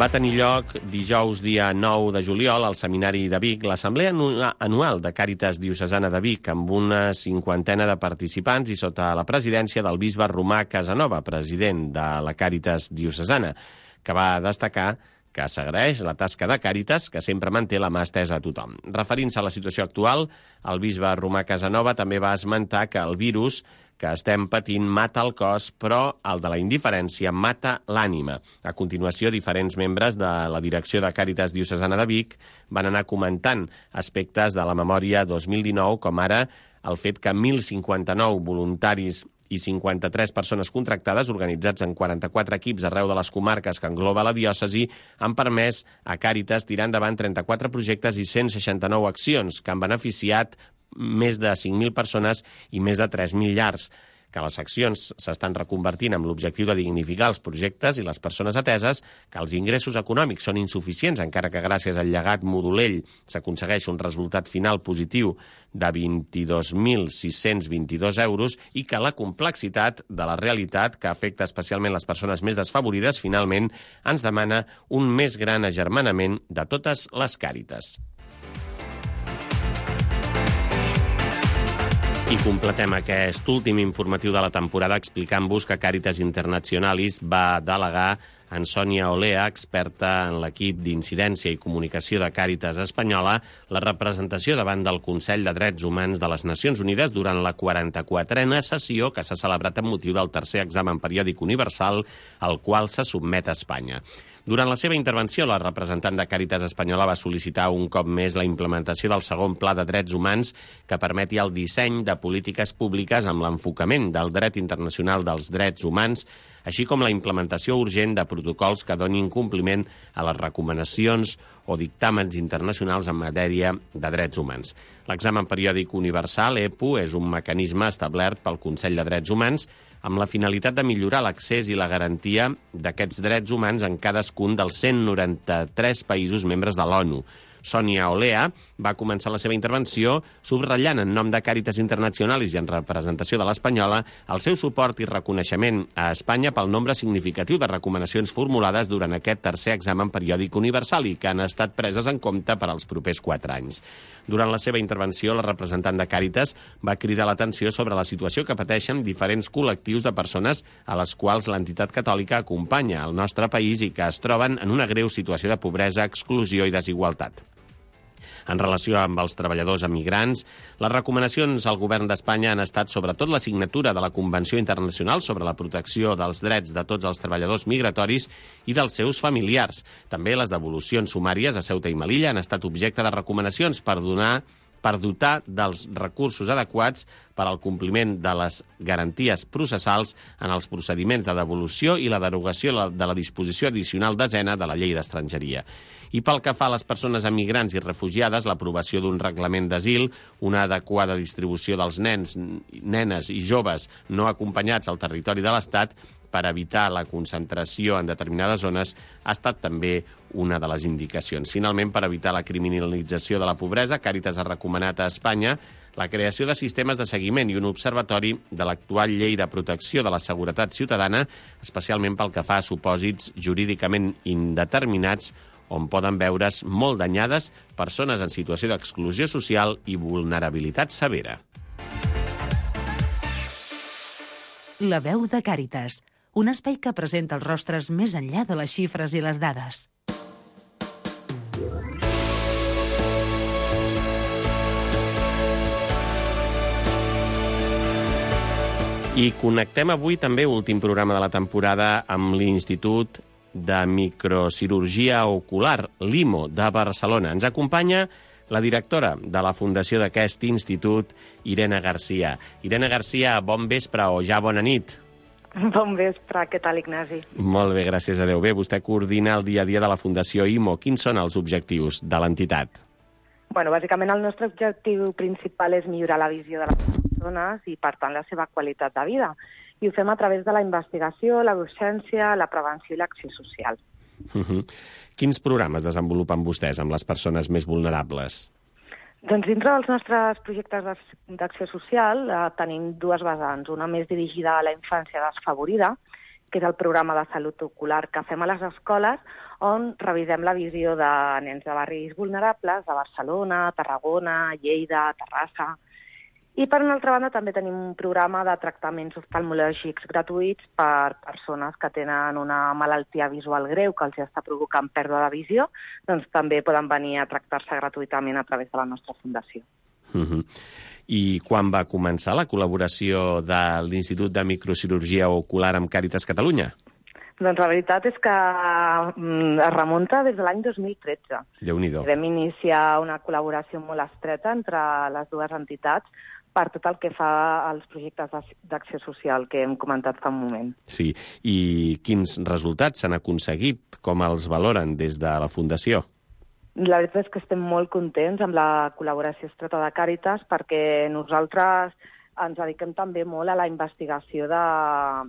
Va tenir lloc dijous, dia 9 de juliol, al Seminari de Vic, l'Assemblea Anual de Càritas Diocesana de Vic, amb una 50ena de participants i sota la presidència del bisbe Romà Casanova, president de la Càritas Diocesana, que va destacar que s'agraeix la tasca de Càritas, que sempre manté la mà estesa a tothom. Referint-se a la situació actual, el bisbe Romà Casanova també va esmentar que el virus que estem patint mata el cos, però el de la indiferència mata l'ànima. A continuació, diferents membres de la direcció de Càritas Diocesana de Vic van anar comentant aspectes de la memòria 2019, com ara el fet que 1.059 voluntaris i 53 persones contractades, organitzats en 44 equips arreu de les comarques que engloba la diòcesi, han permès a Càritas tirar endavant 34 projectes i 169 accions que han beneficiat més de 5.000 persones i més de 3.000 llars, que les accions s'estan reconvertint amb l'objectiu de dignificar els projectes i les persones ateses, que els ingressos econòmics són insuficients, encara que gràcies al llegat modulell s'aconsegueix un resultat final positiu de 22.622 euros i que la complexitat de la realitat, que afecta especialment les persones més desfavorides, finalment ens demana un més gran agermanament de totes les càritas. I completem aquest últim informatiu de la temporada explicant-vos que Càritas Internationalis va delegar en Sònia Olea, experta en l'equip d'incidència i comunicació de Càritas Espanyola, la representació davant del Consell de Drets Humans de les Nacions Unides durant la 44a sessió que s'ha celebrat amb motiu del tercer examen periòdic universal al qual se sotmet a Espanya. Durant la seva intervenció, la representant de Càritas Espanyola va sol·licitar un cop més la implementació del segon Pla de Drets Humans que permeti el disseny de polítiques públiques amb l'enfocament del dret internacional dels drets humans, així com la implementació urgent de protocols que donin compliment a les recomanacions o dictàmens internacionals en matèria de drets humans. L'examen periòdic universal, EPU, és un mecanisme establert pel Consell de Drets Humans amb la finalitat de millorar l'accés i la garantia d'aquests drets humans en cadascun dels 193 països membres de l'ONU. Sònia Olea va començar la seva intervenció subratllant en nom de Càritas Internationalis i en representació de l'Espanyola el seu suport i reconeixement a Espanya pel nombre significatiu de recomanacions formulades durant aquest tercer examen periòdic universal i que han estat preses en compte per als propers 4 anys. Durant la seva intervenció, la representant de Càritas va cridar l'atenció sobre la situació que pateixen diferents col·lectius de persones a les quals l'entitat catòlica acompanya al nostre país i que es troben en una greu situació de pobresa, exclusió i desigualtat. En relació amb els treballadors emigrants, les recomanacions al govern d'Espanya han estat sobretot la signatura de la Convenció Internacional sobre la protecció dels drets de tots els treballadors migratoris i dels seus familiars. També les devolucions sumàries a Ceuta i Melilla han estat objecte de recomanacions per dotar dels recursos adequats per al compliment de les garanties processals en els procediments de devolució i la derogació de la disposició addicional 10ª de la Llei d'Estrangeria. I pel que fa a les persones emigrants i refugiades, l'aprovació d'un reglament d'asil, una adequada distribució dels nens, nenes i joves no acompanyats al territori de l'Estat per evitar la concentració en determinades zones ha estat també una de les indicacions. Finalment, per evitar la criminalització de la pobresa, Càritas ha recomanat a Espanya la creació de sistemes de seguiment i un observatori de l'actual llei de protecció de la seguretat ciutadana, especialment pel que fa a supòsits jurídicament indeterminats on poden veure's molt danyades persones en situació d'exclusió social i vulnerabilitat severa. La veu de Càritas, un espai que presenta els rostres més enllà de les xifres i les dades. I connectem avui també, últim programa de la temporada, amb l'Institut de Microcirurgia Ocular, l'IMO, de Barcelona. Ens acompanya la directora de la fundació d'aquest institut, Irene Garcia. Irene Garcia, bon vespre o ja bona nit. Bon vespre, què tal, Ignasi? Molt bé, gràcies a Déu. Bé, vostè coordina el dia a dia de la Fundació IMO. Quins són els objectius de l'entitat? Bueno, bàsicament el nostre objectiu principal és millorar la visió de les persones i, per tant, la seva qualitat de vida. I ho fem a través de la investigació, la docència, la prevenció i l'acció social. Quins programes desenvolupen vostès amb les persones més vulnerables? Doncs dintre dels nostres projectes d'acció social tenim dues vessants. Una més dirigida a la infància desfavorida, que és el programa de salut ocular que fem a les escoles, on revisem la visió de nens de barris vulnerables de Barcelona, Tarragona, Lleida, Terrassa. I, per una altra banda, també tenim un programa de tractaments oftalmològics gratuïts per persones que tenen una malaltia visual greu que els està provocant pèrdua de visió, doncs també poden venir a tractar-se gratuïtament a través de la nostra fundació. I quan va començar la col·laboració de l'Institut de Microcirurgia Ocular amb Càritas Catalunya? Doncs la veritat és que es remunta des de l'any 2013. Déu-n'hi-do. Vam iniciar una col·laboració molt estreta entre les dues entitats per tot el que fa als projectes d'acció social que hem comentat fa un moment. Sí, i quins resultats s'han aconseguit? Com els valoren des de la Fundació? La veritat és que estem molt contents amb la col·laboració estreta de Càritas perquè nosaltres ens dediquem també molt a la investigació de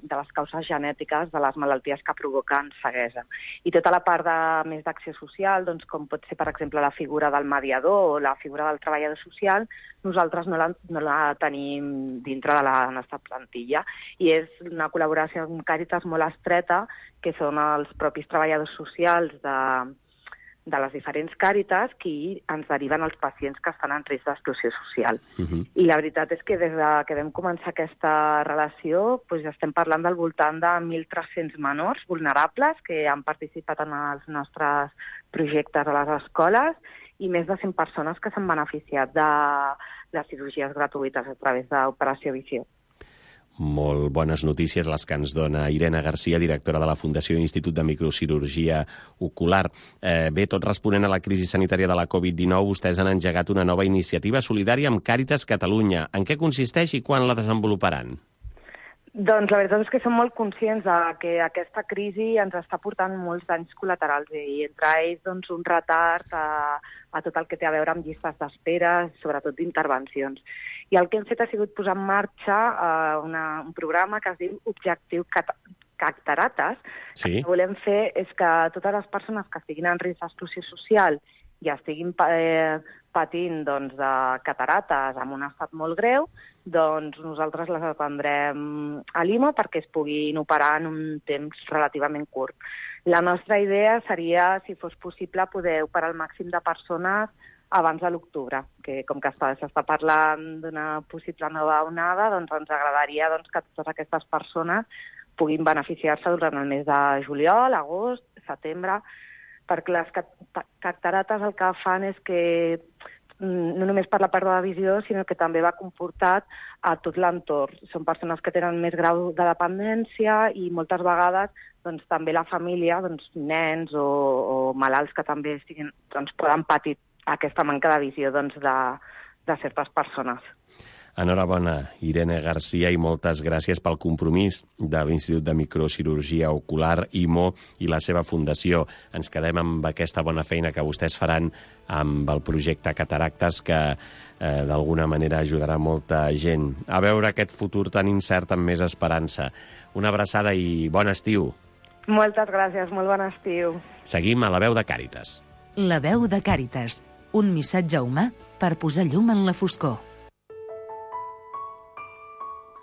les causes genètiques de les malalties que provoquen ceguesa. I tota la part més d'acció social, doncs, com pot ser, per exemple, la figura del mediador o la figura del treballador social, nosaltres no la tenim dintre de la nostra plantilla. I és una col·laboració amb Càritas molt estreta, que són els propis treballadors socials de les diferents Càritas qui ens deriven els pacients que estan en risc d'exclusió social. I la veritat és que des que vam començar aquesta relació doncs estem parlant del voltant de 1.300 menors vulnerables que han participat en els nostres projectes a les escoles i més de 100 persones que s'han beneficiat de cirurgies gratuïtes a través d'Operació Visió. Molt bones notícies les que ens dona Irene Garcia, directora de la Fundació Institut de Microcirurgia Ocular. Bé, tot responent a la crisi sanitària de la Covid-19, vostès han engegat una nova iniciativa solidària amb Càritas Catalunya. En què consisteix i quan la desenvoluparan? Doncs la veritat és que som molt conscients que aquesta crisi ens està portant molts danys col·laterals i entre ells doncs, un retard a tot el que té a veure amb llistes d'espera, sobretot d'intervencions. I el que hem fet ha sigut posar en marxa un programa que es diu Objectiu Catarates. Sí. El que volem fer és que totes les persones que estiguin en risc d'exclusió social i estiguin patint doncs, de catarates en un estat molt greu, doncs nosaltres les atendrem a l'IMO perquè es puguin operar en un temps relativament curt. La nostra idea seria, si fos possible, poder operar el màxim de persones abans de l'octubre, que com que s'està parlant d'una possible nova onada, doncs ens agradaria que totes aquestes persones puguin beneficiar-se durant el mes de juliol, agost, setembre, perquè les catarates el que fan és que no només per la pèrdua de visió, sinó que també va comportat a tot l'entorn. Són persones que tenen més grau de dependència i moltes vegades doncs, també la família, doncs, nens o malalts que també poden patir aquesta manca de visió doncs, de certes persones. Enhorabona, Irene Garcia, i moltes gràcies pel compromís de l'Institut de Microcirurgia Ocular, IMO, i la seva fundació. Ens quedem amb aquesta bona feina que vostès faran amb el projecte Cataractes, que d'alguna manera ajudarà molta gent a veure aquest futur tan incert amb més esperança. Una abraçada i bon estiu. Moltes gràcies, molt bon estiu. Seguim a La Veu de Càritas. La Veu de Càritas, un missatge humà per posar llum en la foscor.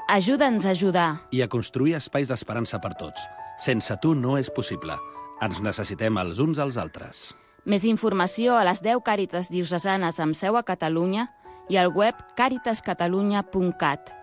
Ajuda'ns a ajudar. I a construir espais d'esperança per tots. Sense tu no és possible. Ens necessitem els uns als altres. Més informació a les 10 Càritas diocesanes amb seu a Catalunya i al web caritascatalunya.cat.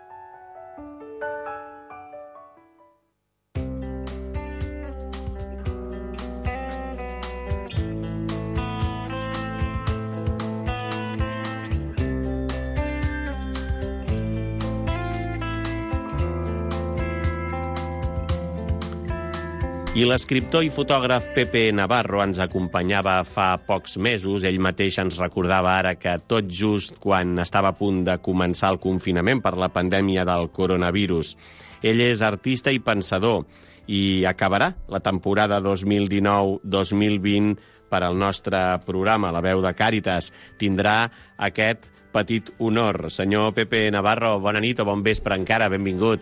I l'escriptor i fotògraf Pepe Navarro ens acompanyava fa pocs mesos. Ell mateix ens recordava ara que tot just quan estava a punt de començar el confinament per la pandèmia del coronavirus. Ell és artista i pensador i acabarà la temporada 2019-2020 per al nostre programa, La Veu de Càritas. Tindrà aquest petit honor. Senyor Pepe Navarro, bona nit o bon vespre encara, benvingut.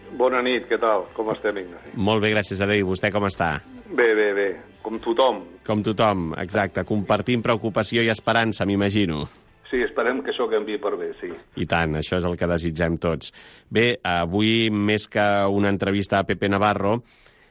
Bona nit, què tal? Com estem, Ignasi? Molt bé, gràcies a Déu. I vostè com està? Bé. Com tothom. Com tothom, exacte. Compartint preocupació i esperança, m'imagino. Sí, esperem que això canviï per bé, sí. I tant, això és el que desitgem tots. Bé, avui, més que una entrevista a Pepe Navarro,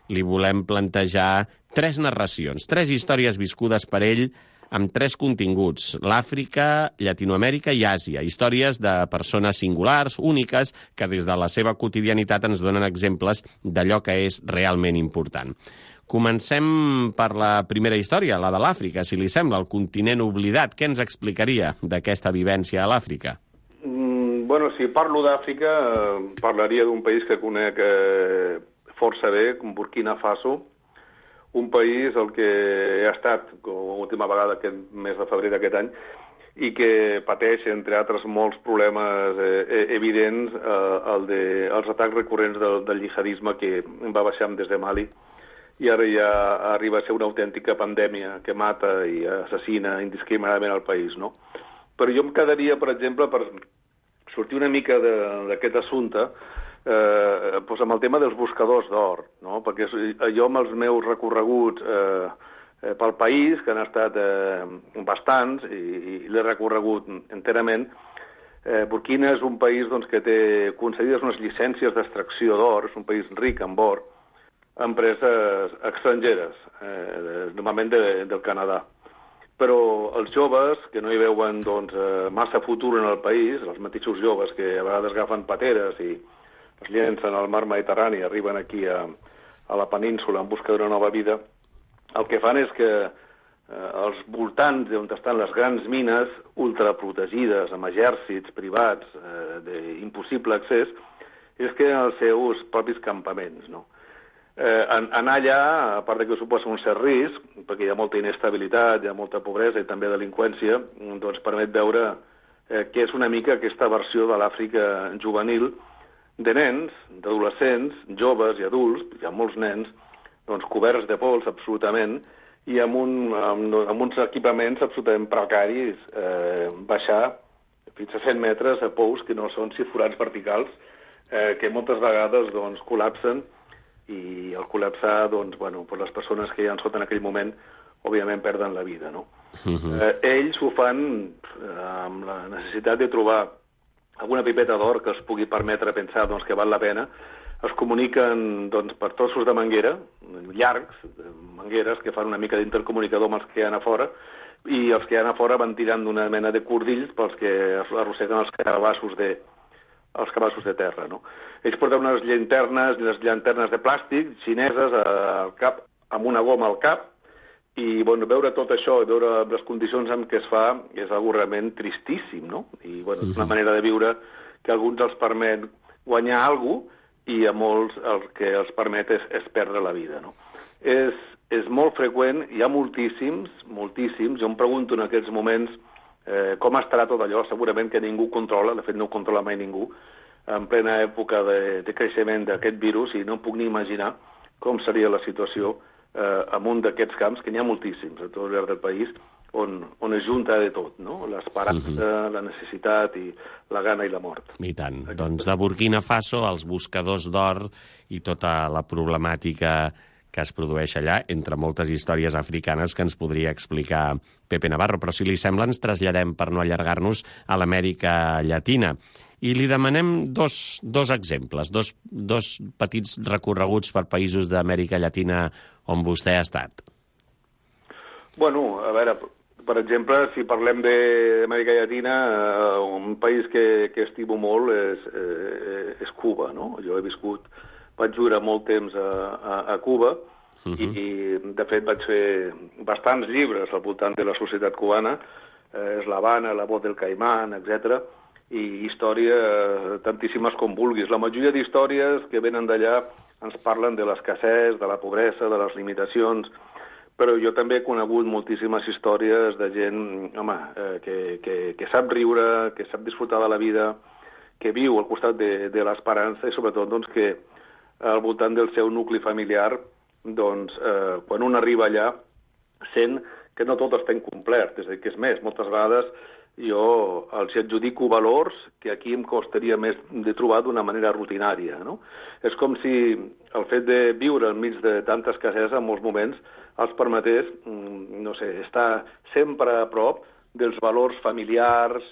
li volem plantejar 3 narracions, 3 històries viscudes per ell amb 3 continguts: l'Àfrica, Llatinoamèrica i Àsia. Històries de persones singulars, úniques, que des de la seva quotidianitat ens donen exemples d'allò que és realment important. Comencem per la primera història, la de l'Àfrica, si li sembla, el continent oblidat. Què ens explicaria d'aquesta vivència a l'Àfrica? Bueno, si parlo d'Àfrica, parlaria d'un país que conec força bé, com Burkina Faso, un país al que he estat com última vegada aquest mes de febrer d'aquest any i que pateix, entre altres, molts problemes evidents, els atacs recurrents del jihadisme que va baixar des de Mali i ara ja arriba a ser una autèntica pandèmia que mata i assassina indiscriminadament al país, no? Però jo em quedaria, per exemple, per sortir una mica d'aquest assumpte, doncs amb el tema dels buscadors d'or, no? Perquè jo amb els meus recorreguts pel país, que han estat bastants, i l'he recorregut enterament, Burkina és un país doncs, que té concedides unes llicències d'extracció d'or, és un país ric en or, a empreses estrangeres, normalment del Canadà. Però els joves, que no hi veuen doncs, massa futur en el país, els mateixos joves que a vegades agafen pateres i es llencen al mar Mediterrani i arriben aquí a la península en busca d'una nova vida, el que fan és que als voltants on estan les grans mines ultraprotegides, amb exèrcits privats d'impossible accés, és que els seus propis campaments, no? Anar allà, a part que suposa un cert risc, perquè hi ha molta inestabilitat, hi ha molta pobresa i també delinqüència, doncs permet veure què és una mica aquesta versió de l'Àfrica juvenil, de nens, d'adolescents, joves i adults, hi ha molts nens, doncs coberts de pols absolutament, i amb uns equipaments absolutament precaris, baixar fins a 100 metres a pous que no són forats verticals, que moltes vegades doncs, col·lapsen, i al col·lapsar, doncs, bueno, les persones que hi ha sota en aquell moment, òbviament perden la vida, no? Ells ho fan amb la necessitat de trobar alguna pipeta d'or que els pugui permetre pensar doncs, que val la pena. Es comuniquen doncs, per trossos de manguera, llargs, mangueres que fan una mica d'intercomunicador amb els que hi ha a fora, i els que hi ha a fora van tirant d'una mena de cordills pels que arrosseguen els cabassos de terra, no? Ells porten unes llanternes de plàstic xineses al cap, amb una goma al cap, i bueno, veure tot això i veure les condicions en què es fa és algo realment tristíssim, no? I bueno, és una manera de viure que a alguns els permet guanyar alguna cosa i a molts el que els permet és perdre la vida, no? És molt freqüent, hi ha moltíssims, jo em pregunto en aquests moments com estarà tot allò, segurament que ningú controla, de fet no ho controla mai ningú, en plena època de creixement d'aquest virus, i no em puc ni imaginar com seria la situació en un d'aquests camps, que n'hi ha moltíssims a tot l'arreu del país, on es junta de tot, no? L'esperança, la necessitat i la gana i la mort. I tant. Doncs de Burkina Faso, els buscadors d'or i tota la problemàtica que es produeix allà, entre moltes històries africanes que ens podria explicar Pepe Navarro. Però si li sembla, ens traslladem, per no allargar-nos, a l'Amèrica Llatina. I li demanem dos exemples, dos petits recorreguts per països d'Amèrica Llatina on vostè ha estat. Bueno, a veure, per exemple, si parlem d'Amèrica Llatina, un país que estimo molt és Cuba, no? Jo vaig viure molt temps a Cuba, i de fet vaig fer bastants llibres al voltant de la societat cubana, és l'Havana, la Voz del Caimán, etc. I històries tantíssimes com vulguis. La majoria d'històries que venen d'allà ens parlen de l'escassez, de la pobresa, de les limitacions, però jo també he conegut moltíssimes històries de gent, home, que sap riure, que sap disfrutar de la vida, que viu al costat de l'esperança i sobretot doncs, que al voltant del seu nucli familiar, doncs, quan un arriba allà, sent que no tot està incomplert. És a dir, que és més, moltes vegades jo els adjudico valors que aquí em costaria més de trobar d'una manera rutinària, no? És com si el fet de viure enmig de tanta escassesa en molts moments els permetés, no sé, estar sempre a prop dels valors familiars,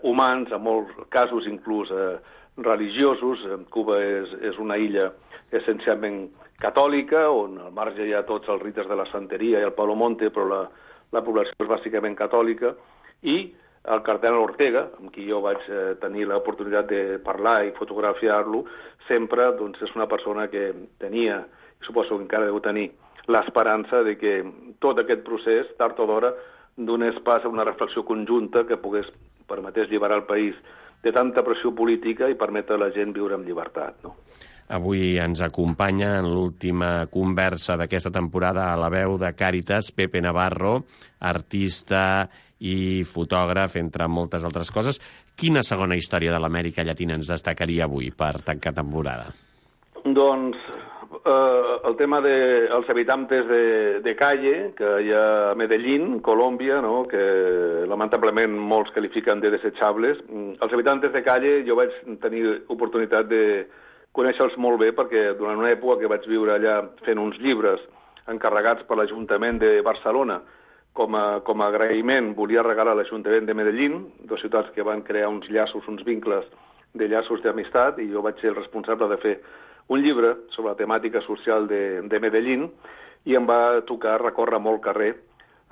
humans, en molts casos inclús religiosos. Cuba és una illa essencialment catòlica, on al marge hi ha tots els rites de la santeria i el Palomonte, però la població és bàsicament catòlica, i el cardenal Ortega, amb qui jo vaig tenir l'oportunitat de parlar i fotografiar-lo, sempre doncs, és una persona que tenia, i suposo que encara deu tenir, l'esperança de que tot aquest procés, tard o d'hora, donés pas a una reflexió conjunta que permetés alliberar el país de tanta pressió política i permetre a la gent viure amb llibertat, no? Avui ens acompanya en l'última conversa d'aquesta temporada a la veu de Càritas, Pepe Navarro, artista i fotògraf, entre moltes altres coses. Quina segona història de l'Amèrica Llatina ens destacaria avui per tancar temporada? Doncs el tema dels habitantes de calle, que hi ha a Medellín, Colòmbia, no? Que lamentablement molts qualifiquen de desechables. Els habitantes de calle jo vaig tenir oportunitat de conèixer-los molt bé perquè durant una època que vaig viure allà fent uns llibres encarregats per l'Ajuntament de Barcelona, com a agraïment volia regalar a l'Ajuntament de Medellín, dues ciutats que van crear uns llaços, uns vincles de llaços d'amistat, i jo vaig ser el responsable de fer un llibre sobre la temàtica social de Medellín, i em va tocar recórrer molt carrer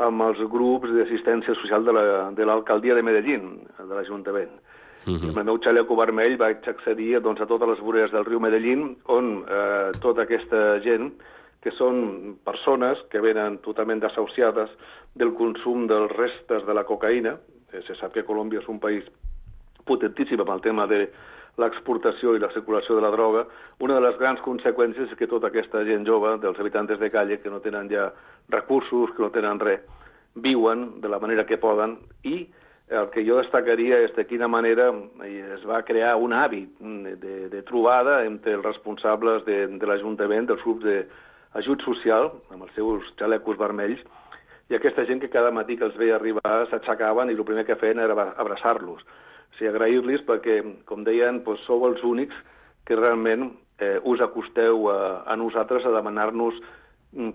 amb els grups d'assistència social de l'alcaldia de Medellín, de l'Ajuntament. Amb el meu xaleco vermell vaig accedir a totes les voreres del riu Medellín, on tota aquesta gent, que són persones que venen totalment desahuciades del consum dels restes de la cocaïna. Se sap que Colòmbia és un país potentíssim amb el tema de l'exportació i la circulació de la droga. Una de les grans conseqüències és que tota aquesta gent jove, dels habitantes de calle, que no tenen ja recursos, que no tenen res, viuen de la manera que poden, i el que jo destacaria és de quina manera es va crear un hàbit de trobada entre els responsables de l'Ajuntament, dels grups d'ajut social, amb els seus xalecos vermells, i aquesta gent que cada matí que els veia arribar s'aixecaven i el primer que feien era abraçar-los. O sigui, agrair-los perquè, com deien, sou els únics que realment us acosteu a nosaltres a demanar-nos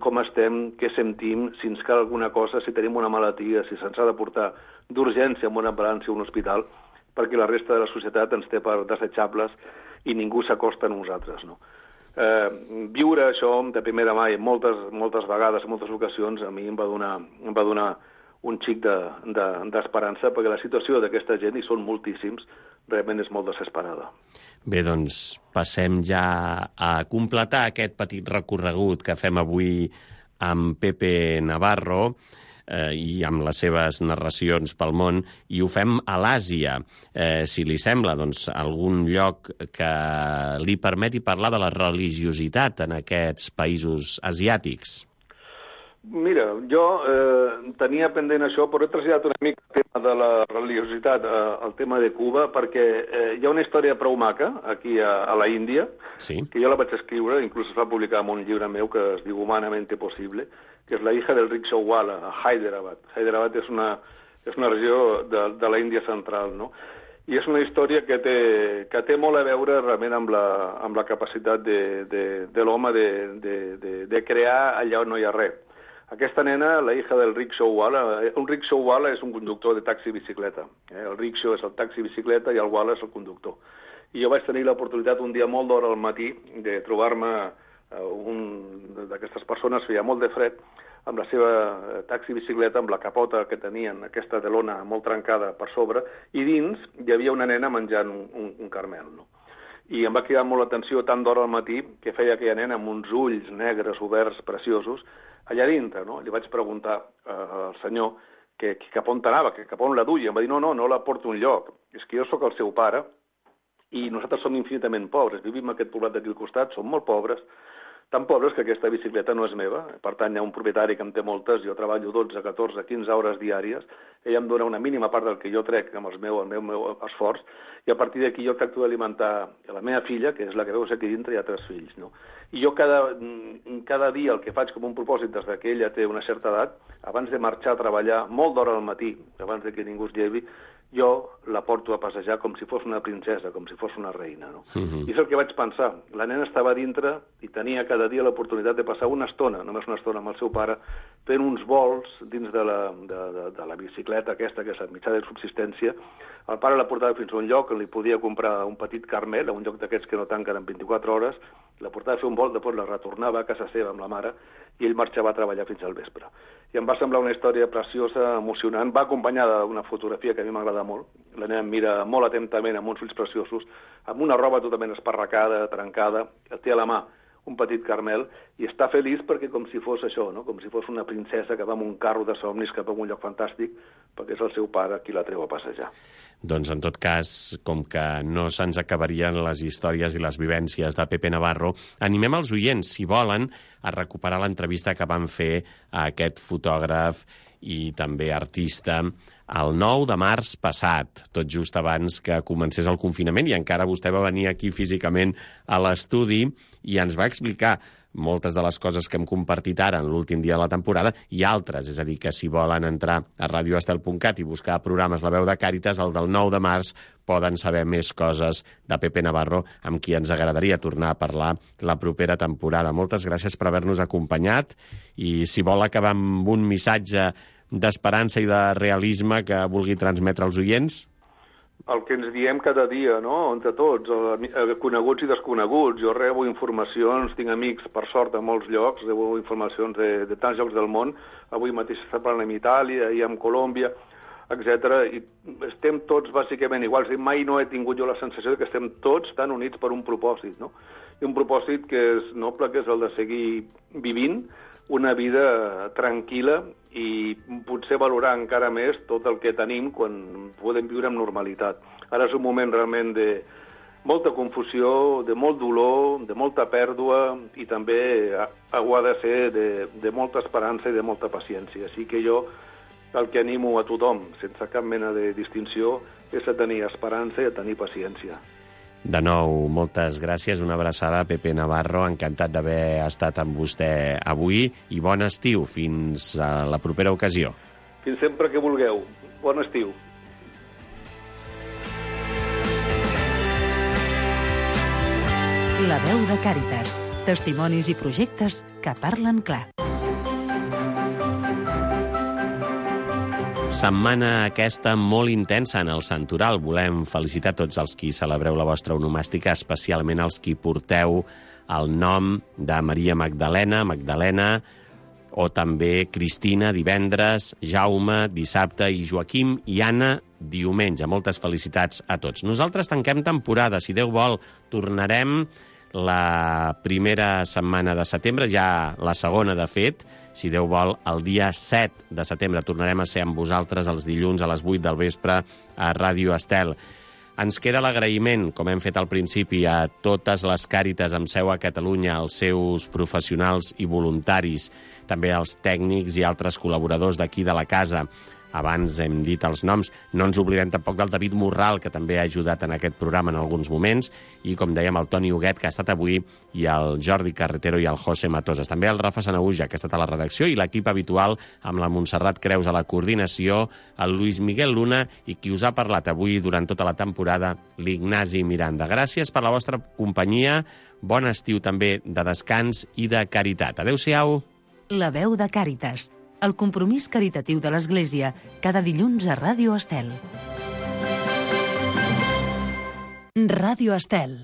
com estem, què sentim, si ens cal alguna cosa, si tenim una malaltia, si se'ns ha de portar d'urgència amb una ambulància a un hospital, perquè la resta de la societat ens té per desechables i ningú s'acosta a nosaltres, no? Viure això de primera mà i moltes vegades, en moltes ocasions, a mi em va donar un xic d'esperança, perquè la situació d'aquesta gent, i són moltíssims, realment és molt desesperada. Bé, doncs passem ja a completar aquest petit recorregut que fem avui amb Pepe Navarro i amb les seves narracions pel món, i ho fem a l'Àsia. Si li sembla, doncs, algun lloc que li permeti parlar de la religiositat en aquests països asiàtics. Mira, jo tenia pendent això, però he traslladat una mica el tema de la religiositat al tema de Cuba, perquè hi ha una història prou maca aquí a la Índia, sí, que jo la vaig escriure, inclús es va publicar en un llibre meu que es diu Humanamente Posible, que és la hija del rickshawala, a Hyderabad. Hyderabad és una regió de la Índia central, no? I és una història que té molt a veure realment amb la capacitat de l'home de crear allà on no hi ha res. Aquesta nena, la hija del rickshawwala, un rickshawwala és un conductor de taxi-bicicleta. El rickshaw és el taxi-bicicleta i el wala és el conductor. I jo vaig tenir l'oportunitat un dia molt d'hora al matí de trobar-me un d'aquestes persones, feia molt de fred, amb la seva taxi-bicicleta, amb la capota que tenien, aquesta de lona molt trencada per sobre, i dins hi havia una nena menjant un caramel, no? I em va cridar molt l'atenció tant d'hora al matí que feia aquella nena amb uns ulls negres oberts preciosos allà dintre, no? Li vaig preguntar al senyor que cap on anava, que cap on la duia. Em va dir, no la porto a un lloc. És que jo sóc el seu pare i nosaltres som infinitament pobres. Vivim en aquest poblat d'aquí al costat, som molt pobres, tan pobres que aquesta bicicleta no és meva. Per tant, hi ha un propietari que en té moltes, jo treballo 12, 14, 15 hores diàries, ella em dona una mínima part del que jo trec amb el meu esforç, i a partir d'aquí jo tracto d'alimentar la meva filla, que és la que veus aquí dintre, i ha 3 fills, no? I jo cada dia el que faig com un propòsit des que ella té una certa edat, abans de marxar a treballar molt d'hora al matí, abans que ningú es llevi, jo la porto a passejar com si fos una princesa, com si fos una reina, no? I és el que vaig pensar. La nena estava dintre i tenia cada dia l'oportunitat de passar una estona, només una estona amb el seu pare, fent uns vols dins de la bicicleta aquesta, que és el mitjà de subsistència. El pare la portava fins a un lloc on li podia comprar un petit carmel, a un lloc d'aquests que no tanquen en 24 hores, la portava a fer un vol, després la retornava a casa seva amb la mare i ell marxava a treballar fins al vespre. I em va semblar una història preciosa, emocionant, va acompanyada d'una fotografia que a mi m'agrada molt. La nena em mira molt atentament amb uns ulls preciosos, amb una roba totalment esparracada, trencada, té a la mà un petit caramel, i està feliç perquè com si fos això, no? Com si fos una princesa que va amb un carro de somnis cap a un lloc fantàstic, perquè és el seu pare qui la treu a passejar. Doncs, en tot cas, com que no se'ns acabarien les històries i les vivències de Pepe Navarro, animem els oients, si volen, a recuperar l'entrevista que van fer a aquest fotògraf i també artista el 9 de març passat, tot just abans que comencés el confinament, i encara vostè va venir aquí físicament a l'estudi i ens va explicar moltes de les coses que hem compartit ara en l'últim dia de la temporada i altres, és a dir, que si volen entrar a radioestel.cat i buscar programes La Veu de Càritas, el del 9 de març poden saber més coses de Pepe Navarro, amb qui ens agradaria tornar a parlar la propera temporada. Moltes gràcies per haver-nos acompanyat i si vol acabar amb un missatge d'esperança i de realisme que vulgui transmetre als oients? El que ens diem cada dia, no?, entre tots, coneguts i desconeguts. Jo rebo informacions, tinc amics, per sort, a molts llocs, rebo informacions de tants llocs del món. Avui mateix està parlant amb Itàlia i amb Colòmbia, etc. I estem tots bàsicament iguals. I mai no he tingut jo la sensació de que estem tots tan units per un propòsit, no? I un propòsit que és noble, que és el de seguir vivint una vida tranquil·la i potser valorar encara més tot el que tenim quan podem viure amb normalitat. Ara és un moment realment de molta confusió, de molt dolor, de molta pèrdua i també ho ha de ser de molta esperança i de molta paciència. Així que jo el que animo a tothom, sense cap mena de distinció, és a tenir esperança i a tenir paciència. De nou, moltes gràcies, una abraçada a Pepe Navarro, encantat d'haver estat amb vostè avui i bon estiu, fins a la propera ocasió. Fins sempre que vulgueu. Bon estiu. La Veu de Càritas. Testimonis i projectes que parlen clar. Setmana aquesta molt intensa en el Santoral. Volem felicitar tots els qui celebreu la vostra onomàstica, especialment els qui porteu el nom de Maria Magdalena, o també Cristina divendres, Jaume dissabte i Joaquim i Anna diumenge. Moltes felicitats a tots. Nosaltres tanquem temporada. Si Déu vol, tornarem la primera setmana de setembre, ja la segona de fet. Si Déu vol, el dia 7 de setembre tornarem a ser amb vosaltres els dilluns a les 8 del vespre a Ràdio Estel. Ens queda l'agraïment, com hem fet al principi, a totes les Càritas amb seu a Catalunya, als seus professionals i voluntaris, també als tècnics i altres col·laboradors d'aquí de la casa. Abans hem dit els noms. No ens oblidem tampoc del David Morral, que també ha ajudat en aquest programa en alguns moments, i, com dèiem, el Toni Huguet, que ha estat avui, i el Jordi Carretero i el José Matosas. També el Rafa Sanahuja, que ha estat a la redacció, i l'equip habitual, amb la Montserrat Creus a la coordinació, el Luis Miguel Luna, i qui us ha parlat avui durant tota la temporada, l'Ignasi Miranda. Gràcies per la vostra companyia. Bon estiu també de descans i de caritat. Adéu-siau. La veu de Càritas, el compromís caritatiu de l'Església, cada dilluns a Ràdio Estel. Ràdio Estel.